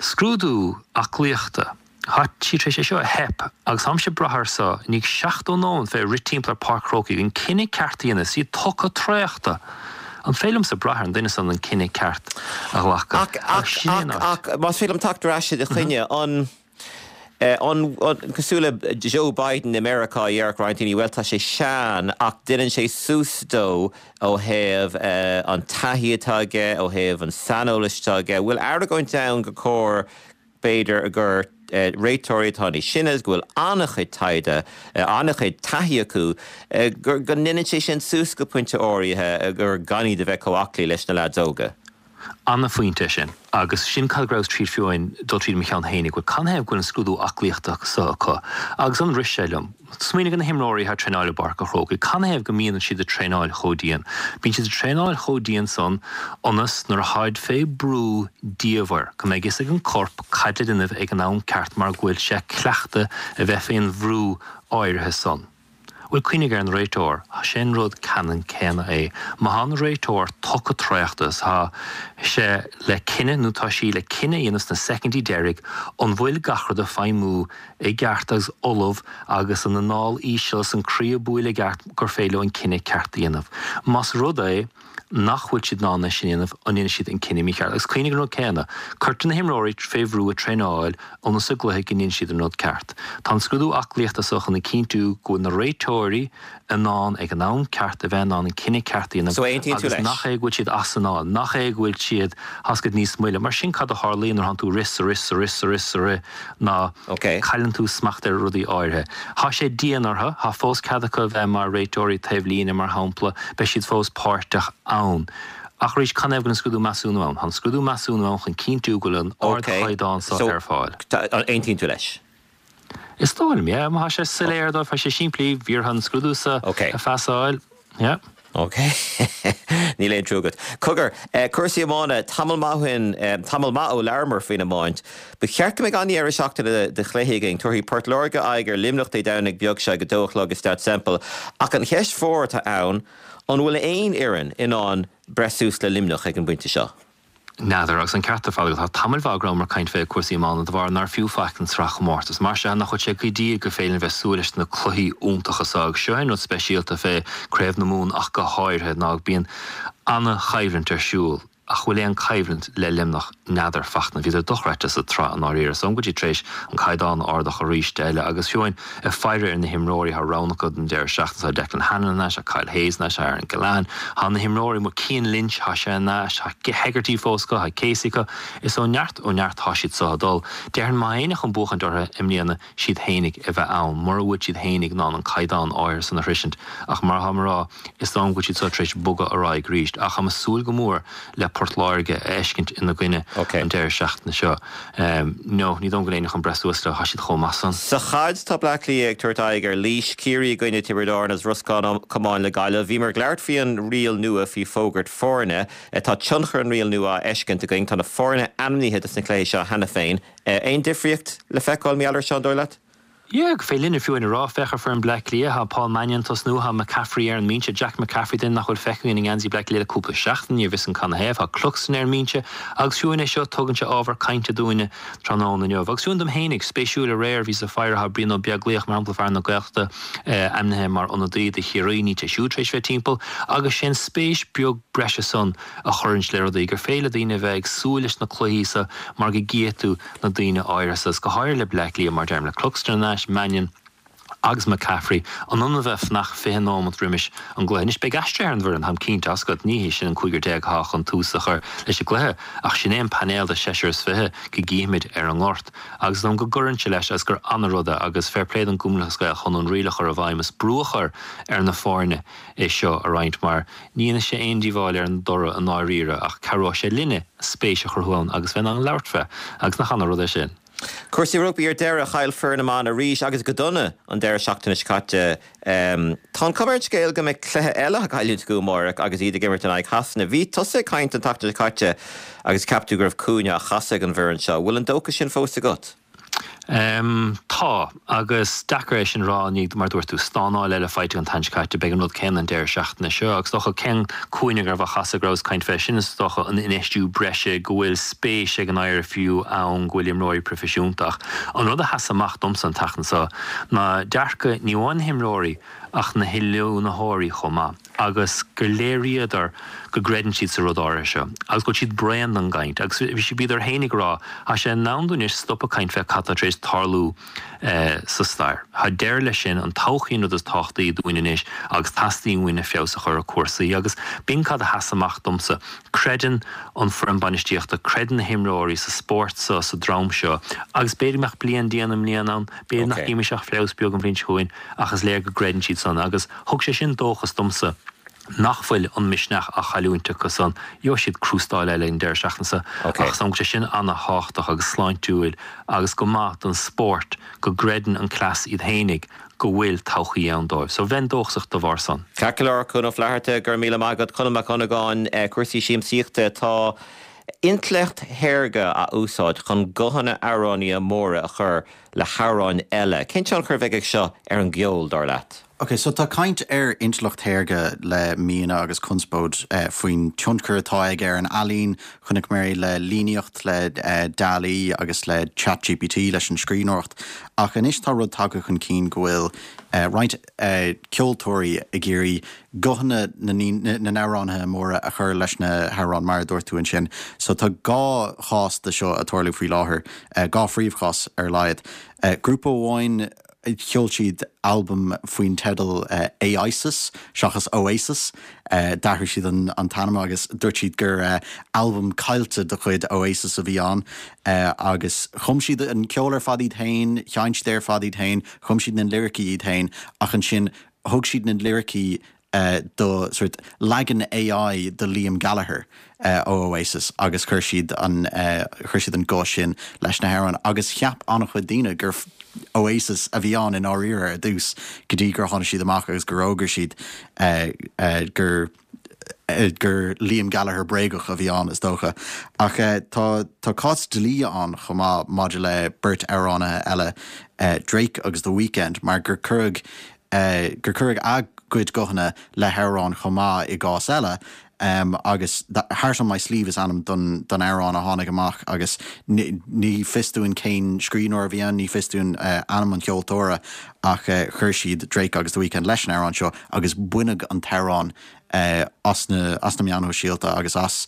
scrúdú aclaíochta, tá siad tréis é seo a theip agus táimse ag brath air so i ndiaidh 70 nóiméad bheith ag rith timpeall ar Páirc Chrócaigh an cinneadh ceart a dhéanamh, is iad tugtha traochta. An féidir liomsa brath ar an duine san an cinneadh ceart a ghlacadh? Ach, ach, Sin é an ach, áit. ach, más féidir liom teacht ar ais i do choinne, an, an, an, cosúil le Joe Biden i Meiriceá, a déarfadh roinnt daoine, bhuel, tá sé sean, ach déanann sé suas dó ó thaobh an taithí atá aige, ó thaobh an saineolais atá aige. Bhfuil argóint ann gur cóir B'fhéidir gur réiteoirí atá níos sine agus go bhfuil an-chuid taighde, an-chuid taithí acu, go ndéanann sé sin suas go pointe áirithe, gur gan iad a bheith chomh aclaí leis na leaids óga. An-phointe é sin. Agus sin cad go rabhas tríd fiú amháin dul tríd mo cheann fhéinig, bhuel canathaobh go bhfuil an scrúdú aclaíochta so acu? Agus ansan rith sé liom. Smaoinigh ar na himreoirí atá ag traenáil i bPáirc an Chrócaigh. Canathaobh go mbíonn siad ag traenáil chomh dian? Bíonn siad ag traenáil chomh dian san ionas nuair a tháid fé brú diamhair, go mbeidh fhios ag an corp cad le déanamh ag an am ceart mar go bhfuil sé cleachta a bheith fén bhrú áirithe san. Bhuel, cuimhnigh ar an réiteoir, sé'n rud ceannann céanna é. Má thá an réiteoir tugtha traochta is thá sé le cinneadh nó tá sí le cinneadh a dhéanamh sna soicindí deiridh an bhfuil gach rud ag feidhmiú i gceart agus ullamh agus an anáil íseal is an croí ag bualadh i gceart gur féidir leo an cinneadh ceart a dhéanamh. Más rud é nach bhfuil siad in ann é sin a dhéanamh, an ndéanfaidh siad an cinneadh mícheart? Agus cuimhnigh an rud céanna, cuirtear na himreoirí fé bhrú ag traenáil ionas sa gcluiche go ndéanfaidh siad an rud ceart. Tá an scrúdú aclaíochta so chun a chinntiú go bhfuil na réiteoirí in ann ag an am ceart a bheith in ann an cinneadh ceart a dhéanamh So aontaíonn tú agus leis? nach é go bhfuil siad as anáil, nach é go bhfuil siad, thá's agat, níos moille. Mar sin cad a tharlaíonn nuair a thánn tú ag rith 's ag rith 's ag rith 's ag rith 's ag rith ná Ok. cailleann tú smacht ar rudaí áirithe. Thá sé dian orthu, thá fós cead acu a bheith mar réiteoirí taobh líne mar shampla, beidh siad fós páirteach ann. Ach arís, canathaobh go bhfuil an scrúdú measúnú ann? Thá an scrúdú measúnú ann chun cinntiú go bhfuil an Ok. ardchaighdeán so So, ar fáil. aontaíonn tú leis? Is dóigh liom, yeah. Má thá sé soiléir dóibh, thá sé simplí, bhí orthu an scrúdú so Ok. a phasáil, yeah. Ok. Níl aon trua agat. Cogar, cúrsaí iomána, tamall maith ó shin, tamall maith ó labhramar faoin iomáint. Ba cheart go mbeidh an-dheireadh seachtaine de chluichí againn. Tabharfaidh Port Láirge aghaidh ar Luimneach Dé Domhnaigh beag seo ag a dó a chlog i Staid Semple. Ach an cheist mhór atá ann, an bhfuil aon fhoireann in ann breith suas le Luimneach ag an bpointe seo? N'fheadar, agus an ceart ar fad agat, tá tamaill mhaith go rabhamar ag caint fé cúrsaí iomána de bharr nár fiú faic an sraithchomórtas. Mar sea, nach bhfuil sé go dtí gur féidir linn bheith súil leis na cluichí iontacha seo, agus seo é an rud speisialta fé Craobh na Mumhan ach go háirithe, ná bíonn ana-choimhlint ar siúl. Ach bhfuil aon coimhlint le Luimneach? N'fheadar, Fachtna. Bhíodar dochreidte sa tsraith i ndáiríre. Is dóigh liom go bhfuil siad tar éis an caighdeán a ardach arís eile agus fiú amháin ag faire ar na himreoirí, tá roghanna acu don deireadh seachtaine. Tá Declan Hannon anois, tá Kyle Hayes anois, tá Aaron Gillane. Tá na himreoirí amuigh, Cian Lynch, tá sé anois, tá Hegarty fós acu, tá Casey acu. Is ó neart ó neart tá siad so ag dul. Déarfainn má tá éinne chun buachaint orthu i mbliana, siad fhéinig a bheith ann, mura bhfuil siad fhéinig in ann an caighdeán áirithe san a shroisint. Ach mar atá mé a rá, is dóigh liom go bhfuil siad seo tar éis bogadh ar aghaidh arís. Ach táim ag súil go mór le Port Láirge a fheiscint ina gcoinne an deireadh seachtaine seo. No, ní dóigh liom go bhfuil éinne chun breith suas leo, tá siad chomh maith san. Sa chaid, tá Bleá Cliath ag tabhairt aghaidh ar Laois, Ciarraí i gcoinne Tiobraid Árann agus Ros Comáin le Gaillimh. Bhíomar ag labhairt faoi an riail nua faoi fógairt foirne. Tá tionchar an riail nua á fheiscint againn. Tá na foirne ainmnithe dos na cluichí seo cheana féin. Aon difríocht le feiceáil mar gheall air seo, an dóigh leat? Yeah, gur féidir linne fiú amháin a rá, féach ar foireann Bleá Cliath, tá Paul Mannion ag tosnú, tá McCaffrey ar an mbinse, Jack McCaffrey, duine nach bhfuil feicthe againn i ngeansaí Bleá Cliath le cúpla seachtain, ní bhfios an canathaobh, tá Cluxton ar an mbinse agus fiú amháin é seo, tugann sé ábhar cainte dúinne tráthnóna inniu. Agus fiú amháin dom fhéinig, spéisiúil aréir, bhíos ag faire, tá Brian Ó Beaglaoich, mar shampla, fear na Gaeltachta, ainmnithe mar ionadaí do Chiarraí, níl sé siúd tar éis bheith timpeall, agus sé an spéis beag breise san, a chuireanns le rudaí, gur féidir le daoine a bheith ag súil leis na cluichí so mar go gcífidh tú na daoine áirithe so, is go háirithe le Bleá Cliath, mar deirim, le Cluxton anois, Mannion agus McCaffrey, in ionad a bheith ag fanacht 20 nóimeat roimis an gcluiche. Anois beidh aistrithe ar an bhfoireann, táim cinnte, tá's agat, ní hé sin an cúigear déag atá chun tús a chur leis an gcluiche, ach sin é an painéal de seisear is fiche go gcífimid ar an ngort. Agus is dóigh liom go gcuireann sé leis agus gur ana-rud é agus fair play don gCumann Lúthchleas Gael chun an riail a chur i bhfeidhm is brú a chur ar na foirne é seo a roinnt mar ní dhéanfaidh sé aon díobháil ar an dtoradh i ndáiríre ach cabhróidh sé linne spéis a chruthú ann agus bheith in ann labhairt fé agus nach ana rud é sin. Cúrsaí rugbaí ar deireadh, chaill foireann na mban arís agus go dona an deireadh seachtaine seo caite. Tá an chuma ar an scéal go mbeidh cluiche eile á gcailliúint acu amárach agus iad ag imirt in aghaidh Shasana. Bhí tusa ag caint an tseachtain seo caite agus cheap tú go raibh cúinne á chasadh ag an bhfoireann seo. Bhfuil an dóchas sin fós agat? Tá, agus deacair é sin a rá i ndiaidh, mar a dúirt tú, stánáil eile faighte an tseachtain seo caite. Beidh an rud céanna an deireadh seachtaine seo. Agus is dócha, cén cúinne go raibh á chasadh, go rabhas ag caint fé sin, is dócha an infheistiú breise, go bhfuil spéis ag an IRFU ann, go bhfuil imreoirí proifisiúnta. Ach an rud a sheas amach domsa an tseachtain seo ná dearcadh ní amháin na himreoirí ach na hoiliúnaitheoirí chomh maith. agus gur léiríodar go gcreideann siad sa rud áirithe seo, agus go bhfuil siad bréan den gcaint, agus bhíodar féin ag rá, tá sé in am dúinn anois stop ag caint fé cad tá tar éis tarlú sa stair. Tá deireadh leis sin, an todhchaí an rud is tábhachtaí dúinn anois agus teastaíonn uainn feabhas a chur ar cúrsaí, agus b'in cad a sheas amach domsa. Creideann an foireann bainistíochta, creideann na himreoirí sa spórt seo, sa dream seo, agus b'fhéidir go mbeadh bliain dian i mbliana ann, b'fhéidir nach gcífimis ach feabhas beag an bhliain seo chugainn, ach is léir go gcreideann siad san, agus. Thug sé sin dóchas domsa nach bhfuil an misneach á chailliúint acu san. Gheobhaidh siad crústáil eile an deireadh seachtaine seo ach is dóigh liom go bhfuil sé sin ana-thábhachtach agus sláintiúil agus go maith don spórt go gcreideann an cleas iad fhéinig go bhfuil todhchaí ann dóibh. So bheinn dóchasach dá bharr san. Ceart go leor, Cuan Ó Flatharta, go raibh míle maith agat. Conall Mac Dhonnagáin, cúrsaí siamsaíochta, tá intleacht shaorga á úsáid chun guthanna amhránaithe móra a chur. le hamhráin eile. Cén tionchar a bheidh ag seo ar an gceol, dar leat? Ok, so tá caint ar intleacht shaorga le míonna agus conspóid faoin tionchar atá aige ar an ealaín. Chonaiceamar é le líníocht, le DALL-E agus le ChatGPT leis an scríbhneoireacht. Ach anois tá rud tagtha chun cinn go bhfuil roinnt ceoltóirí ag iarraidh guthanna na n-amhránaithe móra a chur leis na hamhráin, mar a dúirt tú ansin. So tá dhá chás de seo ag tarlú faoi láthair, dhá phríomhchás ar a laghad. Grúpa amháin, Sheol siad albam faoin teideal AIsis seachas Oasis. D'athraigh siad an t-ainm agus dúirt siad gur albam caillte de chuid Oasis a bhí ann. Agus chum siad an ceol ar fad iad féin, sheinn siad é ar fad iad féin, chum siad na liricí iad féin ach ansin thug siad na liricí do sort leagan AI de Liam Gallagher ó Oasis agus chuir siad an chuir siad an guth sin leis na hamhráin agus cheap an-chuid daoine gur Oasis a bhí ann i ndáiríre ar dtús go dtí gur tháinig siad amach agus gur fhógair siad gur gur Liam Gallagher bréagach a bhí ann is dócha. Ach tá tá cás dlí ann chomh maith maidir le beirt amhránaithe eile, Drake agus The Weeknd, mar gur cuireadh gur cuireadh a gcuid guthanna le hamhráin chomh maith i gcás eile agus Heart on My Sleeve is ainm don amhrán a tháinig amach agus ní fios dúinn cén scríbhneoir a bhí ann, ní fios dúinn ainm an cheoltóra ach chuir siad Drake agus The Weeknd leis an amhrán seo agus baineadh an t-amhrán as na as na meáin shóisialta agus as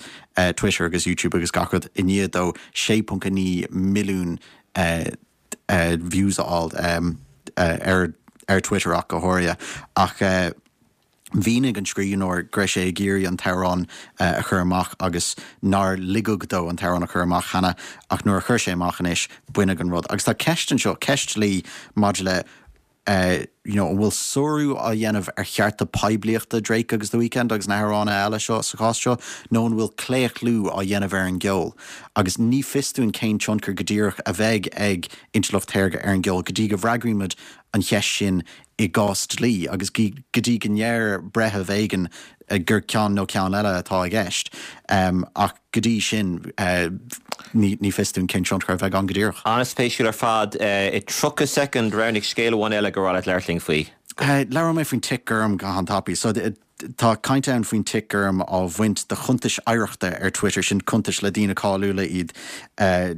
Twitter agus YouTube agus gach rud i ndiaidh dó 6.9 milliún views a fháil ar ar Twitter ach go háirithe. Ach mhínigh an scríbhneoir go raibh sé ag iarraidh an t-amhrán a chur amach agus nár ligeadh dó an t-amhrán a chur amach cheana ach nuair a chuir sé amach anois baineadh an rud. Agus tá ceist anseo, ceist dlí maidir le you know, an bhfuil sárú á dhéanamh ar chearta poiblíochta Drake agus The Weeknd agus na hamhránaithe eile seo sa chás seo, nó an bhfuil claochlú á dhéanamh ar an gceol? Agus ní fios dúinn cén tionchar go díreach a bheidh ag intleacht shaorga ar an gceol go dtí go bhfreagraímid an cheist sin i gcás dlí agus go dtí go ndeir breitheamh éigin gur ceann nó ceann eile atá i gceist. Ach go dtí sin, ní fios dúinn cén tionchar a bheidh ann go díreach. An-spéisiúil ar fad. I 30 soicind, roghnaigh scéal amháin eile gur mhaith leat labhairt linn faoi. Labhróidh mé faoin tic gorm go han-tapaidh. So, tá caint ann faoin tic gorm á bhaint de chuntais oidhreachta ar Twitter, sin cuntais le daoine cáiliúla iad,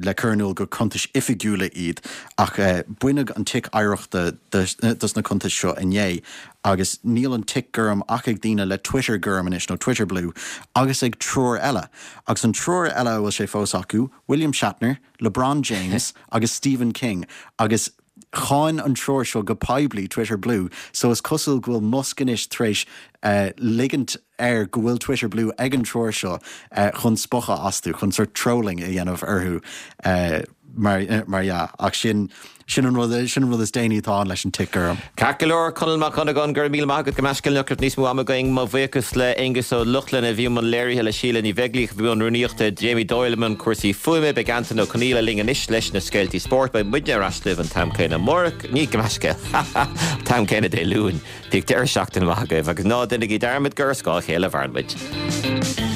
le cur in iúl gur cuntais oifigiúla iad. Ach baineadh an tic oidhreachta dos na cuntais seo inné. Agus níl an tic gorm ach ag daoine le Twitter gorm anois, nó Twitter Blue, agus ag triúr eile. Agus an triúr eile a bhfuil sé fós acu, William Shatner, LeBron James agus Stephen King. Agus cháin an triúr seo go poiblí Twitter Blue, so is cosúil go bhfuil Musk anois tar éis ligint air go bhfuil Twitter Blue ag an triúr seo chun spochadh astu, chun sort trolling a dhéanamh orthu mar mar dhea. Ach sin sin an rud sin an rud is déanaí atá ann leis an tic gorm. Ceart go leor, Conall Mac Dhonnagáin, go raibh míle maith agat go meascéal nach raibh níos mó ama againn. Mo bhuíochas le Aonghus Ó Lochlainn a bhí i mbun léirithe, le Síle Ní Bheaglaoich a bhí i mbun rúnaíochta, Jamie Doyle i mbun cúrsaí fuaime. Beidh Antain Ó Conaola linn anois leis na scéaltaí spóirt. Beidh muidne ar ais libh an t-am céanna amárach, ní go meascéal, ha ha, an t-am céanna Dé Luain. Bíodh deireadh seachtaine maith agaibh agus ná déanaigí dearmad gur ar scáth a chéile a mhaireann muid.